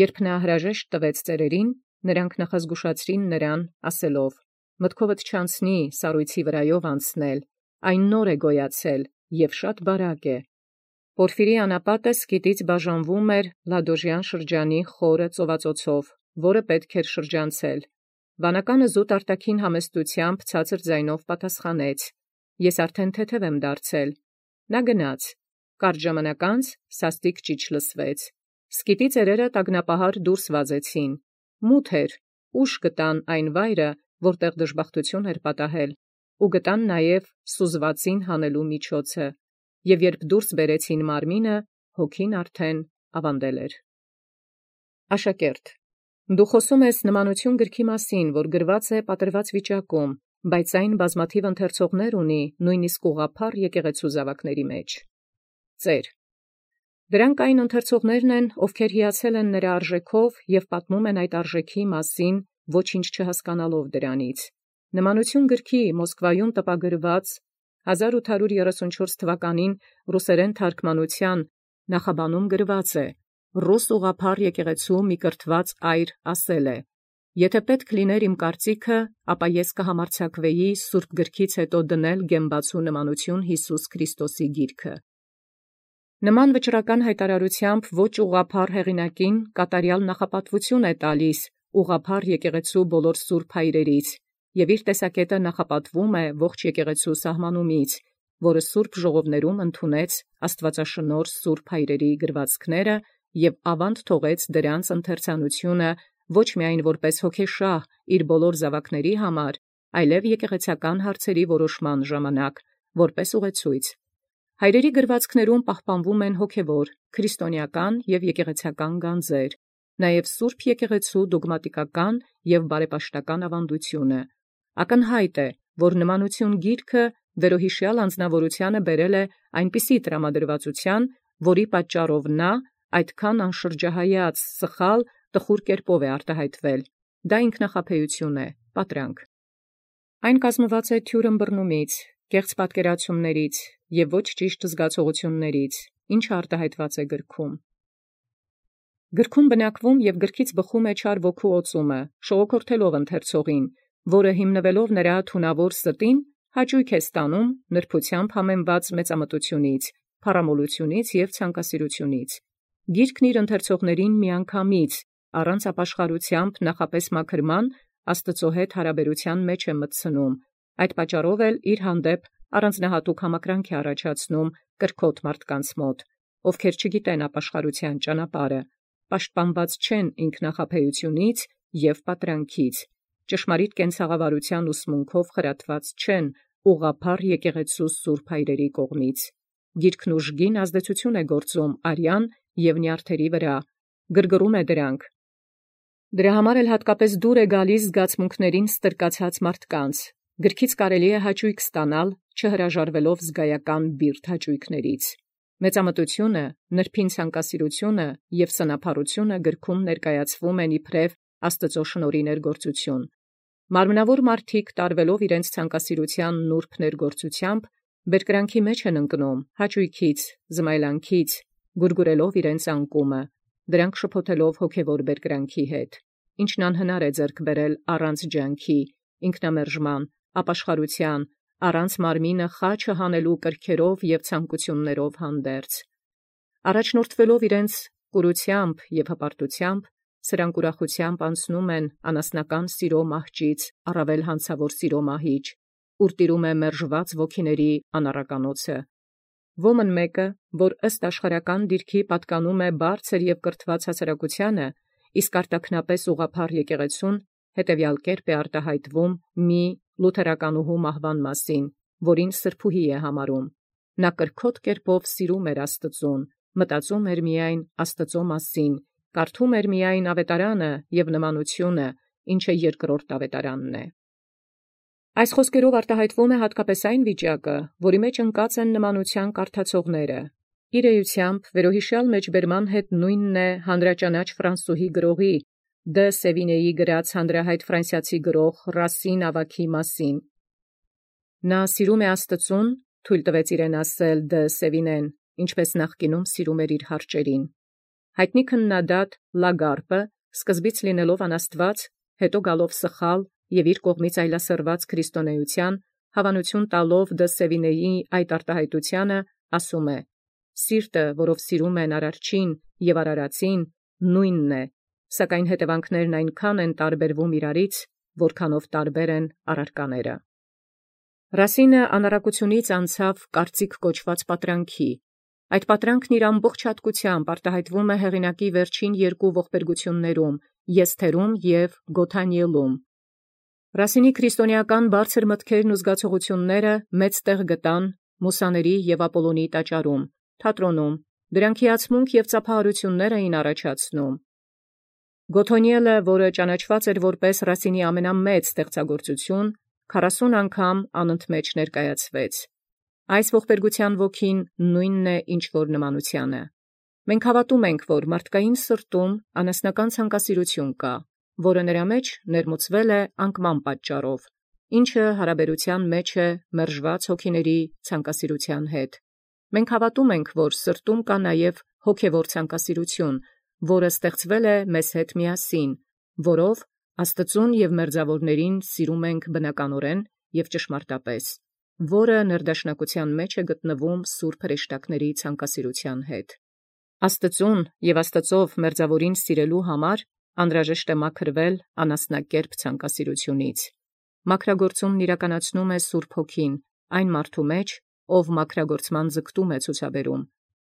S1: Երբ նա հրաժեշտ տվեց ծերերին, նրանք նախազգուշացրին նրան, ասելով. «Մտքովդ չանցնի սառույցի վրայով անցնել, այն նոր է գոյացել և շատ բարակ է»։ Պորֆիրի անապատը Սկիտից բաժանվում էր Լադոժյան շրջանի խորը ծովածոցով, որը պետք էր շրջանցել։ Վանականը զուտ արտաքին համեստությամբ ցածր ձայնով պատասխանեց. «Ես արդեն թեթև եմ դարձել»։ Նա գնաց։ Կարճ ժամանակ անց սաստիկ ճիչ լսվեց։ Սկիտի ծերերը տագնապահար դուրս վազեցին։ Մութ էր, ուշ գտան այն վայրը, որտեղ դժբախտություն էր պատահել, ու գտան նաև սուզվածին հանելու միջոցը, և երբ դուրս բերեցին մարմինը, հոգին արդեն ավանդել էր։ Աշակերտ, դու խոսում ես նմանություն գրքի մասին, որ գրված է պատրված վիճակում, բայց այն բազմաթիվ ընթերցողներ ունի, նույնիսկ ուղղափառ եկեղեցու զավակների մեջ։ Ծեր. Դրանք այն ընթերցողներն են, ովքեր հիացել են նրա արժեքով և պատմում են այդ արժեքի մասին, ոչինչ չհասկանալով դրանից։ Նմանություն գրքի Մոսկվայում տպագրված 1834 թվականին ռուսերեն թարգմանության նախաբանում գրված է. «Ռուս ուղղափառ եկեղեցու մի կրթված այր ասել է. եթե պետք լիներ իմ կարծիքը, ապա ես կհամարձակվեի Սուրբ գրքից հետո դնել Գեմբացու նմանություն Յիսուս Քրիստոսի գիրքը»։ Նման վճռական հայտարարությամբ ոչ ուղղափառ հեղինակին կատարյալ նախապատվություն է տալիս ուղղափառ եկեղեցու բոլոր սուրբ հայրերից, և իր տեսակետը նախապատվում է ողջ եկեղեցու սահմանումից, որը սուրբ ժողովներում ընդունեց աստվածաշնորհ սուրբ հայրերի գրվածքները և ավանդ թողեց դրանց ընթերցանությունը ոչ միայն որպես հոգեշահ իր բոլոր զավակների համար, այլև եկեղեցական հարցերի որոշման ժամանակ, որպես ուղեցույց։ Հայրերի գրվածքներում պահպանվում են հոգևոր, քրիստոնեական և եկեղեցական գանձեր, նաև սուրբ եկեղեցու դոգմատիկական և բարեպաշտական ավանդությունը։ Ակնհայտ է, որ նմանություն գիրքը վերոհիշյալ անձնավորությանը բերել է այնպիսի տրամադրվածության, որի պատճառով նա այդքան անշրջահայաց, սխալ, տխուր կերպով է արտահայտվել։ Դա ինքնախաբեություն է, պատրանք։ Այն կազմված է թյուր ըմբռնումից, կեղծ պատկերացումներից և ոչ ճիշտ զգացողություններից, ինչը արտահայտված է գրքում։ Գրքում բնակվում և գրքից բխում է չար ոգու օծումը, շողոքորթելով ընթերցողին, որը հիմնվելով նրա թունավոր ստին, հաճույք է ստանում նրբությամբ համեմված մեծամտությունից, փառամոլությունից և ցանկասիրությունից։ Գիրքն իր ընթերցողներին միանգամից, առանց ապաշխարությամբ նախապես մաքրման, Աստծո հետ հարաբերության մեջ է մտցնում, այդ պատճառով էլ իր հանդեպ առանձնահատուկ համակրանք է առաջացնում կրքոտ մարդկանց մոտ, ովքեր չգիտեն ապաշխարության ճանապարհը, պաշտպանված չեն ինքնախաբեությունից և պատրանքից, ճշմարիտ կենցաղավարության ուսմունքով խրատված չեն ուղղափառ եկեղեցու սուրբ հայրերի կողմից։ Գիրքն ուժգին ազդեցություն է գործում արյան և նյարդերի վրա, գրգռում է դրանք։ Դրա համար էլ հատկապես դուր է գալիս զգացմունքներին ստրկացած մարդկանց։ Գրքից կարելի է հաճույք ստանալ, չհրաժարվելով զգայական բիրտ հաճույքներից։ Մեծամտությունը, նրբին ցանկասիրությունը և սնափառությունը գրքում ներկայացվում են իբրև Աստծո շնորհի ներգործություն։ Մարմնավոր մարդիկ տարվելով իրենց ցանկասիրության նուրբ ներգործությամբ, բերկրանքի մեջ են ընկնում հաճույքից, զմայլանքից, գուրգուրելով իրենց անկումը, դրանք շփոթելով հոգևոր բերկրանքի հետ, ինչն անհնար է ձեռք բերել առանց ջանքի, ինքնամերժման, ապաշխարության, առանց մարմինը խաչը հանելու կրքերով և ցանկություններով հանդերձ։ Առաջնորդվելով իրենց կուրությամբ և հպարտությամբ, սրանք ուրախությամբ անցնում են անասնական սիրո մահճից առավել հանցավոր սիրո մահիճ, ուր տիրում է մերժված ոգիների անառականոցը։ Ոմն մեկը, որ ըստ աշխարհական դիրքի պատկանում է բարձր և կրթված հասարակությանը, իսկ արտաքնապես ուղղափառ եկեղեցուն, հետևյալ կերպ է արտահայտվում մի լութերականուհու մահվան մասին, որին սրբուհի է համարում։ Նա կրքոտ կերպով սիրում էր Աստծուն, մտածում էր միայն Աստծո մասին, կարդում էր միայն ավետարանը և նմանությունը, ինչը երկրորդ ավետարանն է։ Այս խոսքերով արտահայտվում է հատկապես այն վիճակը, որի մեջ ընկած են նմանության կարդացողները։ Իր էությամբ վերոհիշյալ մեջբերման հետ նույնն է հանրաճանաչ Ֆրանսուհի գրողի դե Սևինեի գրած հանրահայտ ֆրանսիացի գրող Ռասին ավագի մասին։ Նա սիրում է Աստծուն, թույլ տվեց իրեն ասել դե Սևինեն, ինչպես նախկինում սիրում էր իր հարճերին։ Հայտնի քննադատ Լագարպը, սկզբից լինելով անաստված, հետո գալով սխալ և իր կողմից այլասերված քրիստոնեության, հավանություն տալով դե Սևինեի այդ արտահայտությանը, ասում է. «Սիրտը, որով սիրում են Արարչին և Արարածին, նույնն է, սակայն հետևանքներն այնքան են տարբերվում իրարից, որքանով տարբեր են առարկաները»։ Ռասինը անառակությունից անցավ կարծիք կոչված պատրանքի։ Այդ պատրանքն իր ամբողջ հատկությամբ արտահայտվում է հեղինակի վերջին երկու ողբերգություններում՝ Եսթերում և Գոթանիելում։ Ռասինի քրիստոնեական բարձր մտքերն ու զգացողությունները մեծ տեղ գտան Մուսաների և Ապոլոնիի տաճարում, թատրոնում, դրանք հիացմունք և ծափահարություններ էին առաջացնում։ Գոթոնիելը, որը ճանաչված էր որպես Ռասինի ամենամեծ ստեղծագործություն, 40 անգամ անընդմեջ ներկայացվեց։ Այս ողբերգության ոգին նույնն է, ինչ որ նմանությանը։ Մենք հավատում ենք, որ մարդկային սրտում անասնական ցանկասիրություն կա, որը նրա մեջ ներմուծվել է անկման պատճառով, ինչը հարաբերության մեջ է մերժված հոգիների ցանկասիրության հետ։ Մենք հավատում ենք, որ սրտում կա նաև հոգևոր ցանկասիրություն, որը ստեղծվել է մեզ հետ միասին, որով Աստծուն և մերձավորներին սիրում ենք բնականորեն և ճշմարտապես, որը ներդաշնակության մեջ է գտնվում սուրբ հրեշտակների ցանկասիրության հետ։ Աստծուն և Աստծով մերձավորին սիրելու համար անհրաժեշտ է մաքրվել անասնակերպ ցանկասիրությունից։ Մաքրագործումն իրականացնում է Սուրբ Հոգին, այն մարդու մեջ, ով մաքրագործման ձգտում է ցուցաբերում։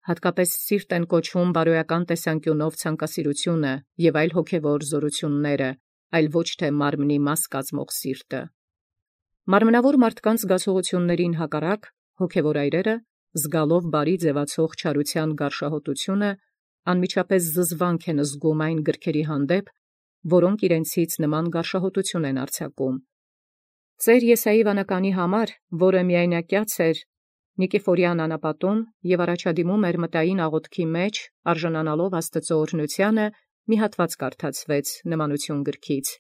S1: Հատկապես սիրտ են կոչվում բարոյական տեսանկյունով ցանկասիրությունը և այլ հոգևոր զորությունները, այլ ոչ թե մարմնի մաս կազմող սիրտը։ Մարմնավոր մարդկանց զգացողություններին հակառակ հոգևոր այրերը, զգալով բարի ձևացող չարության գարշահոտությունը, անմիջապես զզվանք են զգում այն գրքերի հանդեպ, որոնք իրենցից նման գարշահոտություն են արձակում։ Ծեր Եսայի վանականի համար, որը միայնակյաց էր Նիկիֆորյան անապատում և առաջադիմում էր մտային աղոթքի մեջ, արժանանալով Աստծո օրհնությանը, մի հատված կարդացվեց նմանություն գրքից։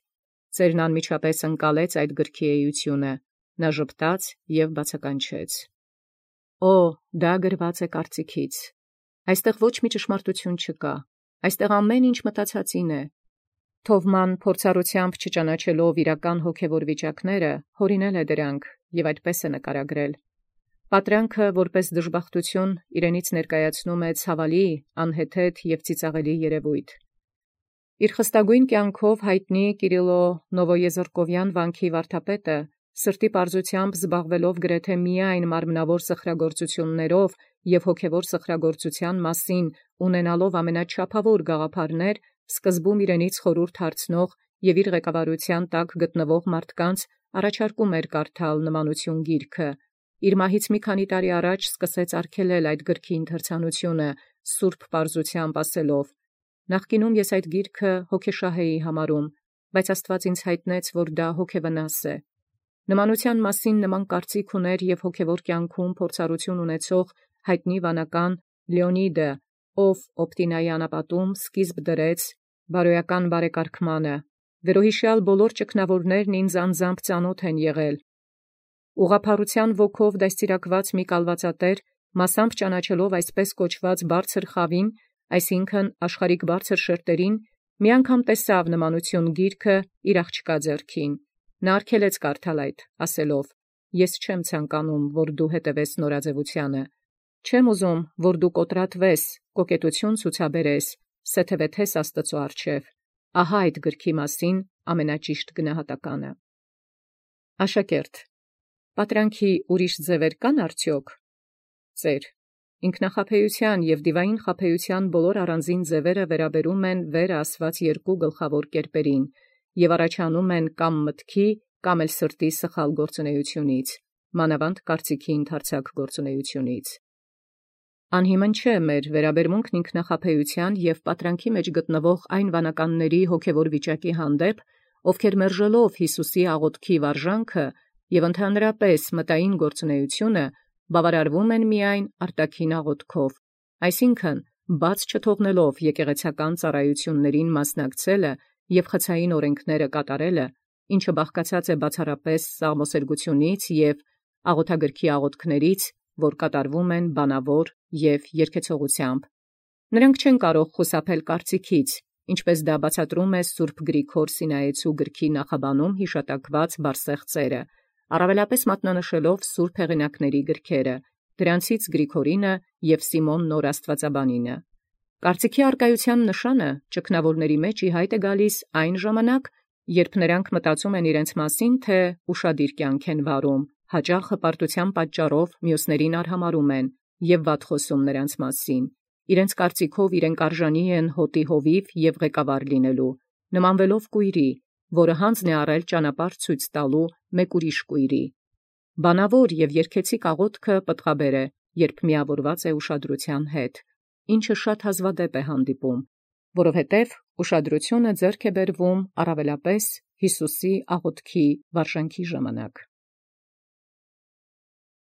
S1: Ծերն անմիջապես ընկալեց այդ գրքի էությունը, նա ժպտաց և բացականչեց. «Օ, դա գրված է կարծիքից։ Այստեղ ոչ մի ճշմարտություն չկա, այստեղ ամեն ինչ մտածածին է»։ Թովման փորձառությամբ չճանաչելով իրական հոգևոր վիճակները, հորինել է դրանք և այդպես է նկարագրել։ Պատրանքը որպես դժբախտություն իրենից ներկայացնում է ցավալի, անհեթեթ և ծիծաղելի երևույթ։ Իր խստագույն կյանքով հայտնի Կիրիլո Նովոեզրկովյան վանքի վարդապետը, սրտի պարզությամբ զբաղվելով գրեթե միայն մարմնավոր սխրագործություններով և հոգևոր սխրագործության մասին ունենալով ամենաչափավոր գաղափարներ, սկզբում իրենից խորհուրդ հարցնող և իր ղեկավարության տակ գտնվող մարդկանց առաջարկում էր կարդալ նմանություն գիրքը։ Իր մահից մի քանի տարի առաջ սկսեց արգելել այդ գրքի ընթերցանությունը, սուրբ պարզությամբ ասելով. «Նախկինում ես այդ գիրքը հոգեշահ էի համարում, բայց Աստված ինձ հայտնեց, որ դա հոգևնաս է»։ Նմանության մասին նման կարծիք ուներ և հոգևոր կյանքում փորձառություն ունեցող հայտնի վանական Լեոնիդը, ով Օպտինայի անապատում սկիզբ դրեց բարոյական բարեկարգմանը։ Վերոհիշյալ բոլոր ճգնավորներն ինձ անձամբ ծանոթ են եղել։ Ուղղափառության ոգով դաստիարակված մի կալվածատեր, մասամբ ճանաչելով այսպես կոչված բարձր խավին, այսինքն աշխարհիկ բարձր շերտերին, մի անգամ տեսավ նմանություն գիրքը իր աղջկա ձեռքին։ Նա արգելեց կարդալ այդ, ասելով. «Ես չեմ ցանկանում, որ դու հետևես նորաձևությանը։ Չեմ ուզում, որ դու կոտրատվես, կոկետություն ցուցաբերես, սեթևեթես Աստծո առջև։ Ահա այդ գրքի մասին ամենաճիշտ գնահատականը»։ Աշակերտ. պատրանքի ուրիշ ձևեր կան արդյոք։ Ծեր. ինքնախաբեության և դիվային խաբեության բոլոր առանձին ձևերը վերաբերում են վերը ասված երկու գլխավոր կերպերին և առաջանում են կամ մտքի, կամ էլ սրտի սխալ գործունեությունից, մանավանդ կարծիքի ընդարձակ գործունեությունից։ Անհիմն չէ մեր վերաբերմունքն ինքնախաբեության և պատրանքի մեջ գտնվող այն վանականների հոգևոր վիճակի հանդեպ, ովքեր մերժելով Յիսուսի աղոթքի վարժանքը և ընդհանրապես մտային գործունեությունը, բավարարվում են միայն արտաքին աղոթքով, Այսինքն, բաց չթողնելով եկեղեցական ծառայություններին մասնակցելը և խցային օրենքները կատարելը, ինչը բաղկացած է բացառապես սաղմոսերգությունից և աղոթագրքի աղոթքներից, որ կատարվում են բանավոր և երգեցողությամբ։ Նրանք չեն կարող խուսափել կարծիքից, ինչպես դա բացատրում է Սուրբ Գրիգոր Սինայեցու գրքի նախաբանում հիշատակված բարսեղծերը, առավելապես մատնանշելով սուրբ հեղինակների գրքերը, դրանցից Գրիգորինը և Սիմոն Նոր Աստվածաբանինը։ Կարծիքի արկայության նշանը ճգնավորների մեջ ի հայտ է գալիս այն ժամանակ, երբ նրանք մտածում են իրենց մասին, թե ուշադիր կյանք են վարում, հաճախ հպարտության պատճառով մյուսներին արհամարհում են և վատ խոսում նրանց մասին, իրենց կարծիքով իրենք արժանի են հոտի հովիվ և ղեկավար լինելու, նմանվելով կույրի, որը հանձն է առել ճանապարհ ցույց տալու մեկ ուրիշ կույրի։ Բանավոր և երգեցիկ աղոթքը պտղաբեր է, երբ միավորված է ուշադրության հետ, ինչը շատ հազվադեպ է հանդիպում, որովհետև ուշադրությունը ձեռք է բերվում առավելապես Յիսուսի աղոթքի վարժանքի ժամանակ։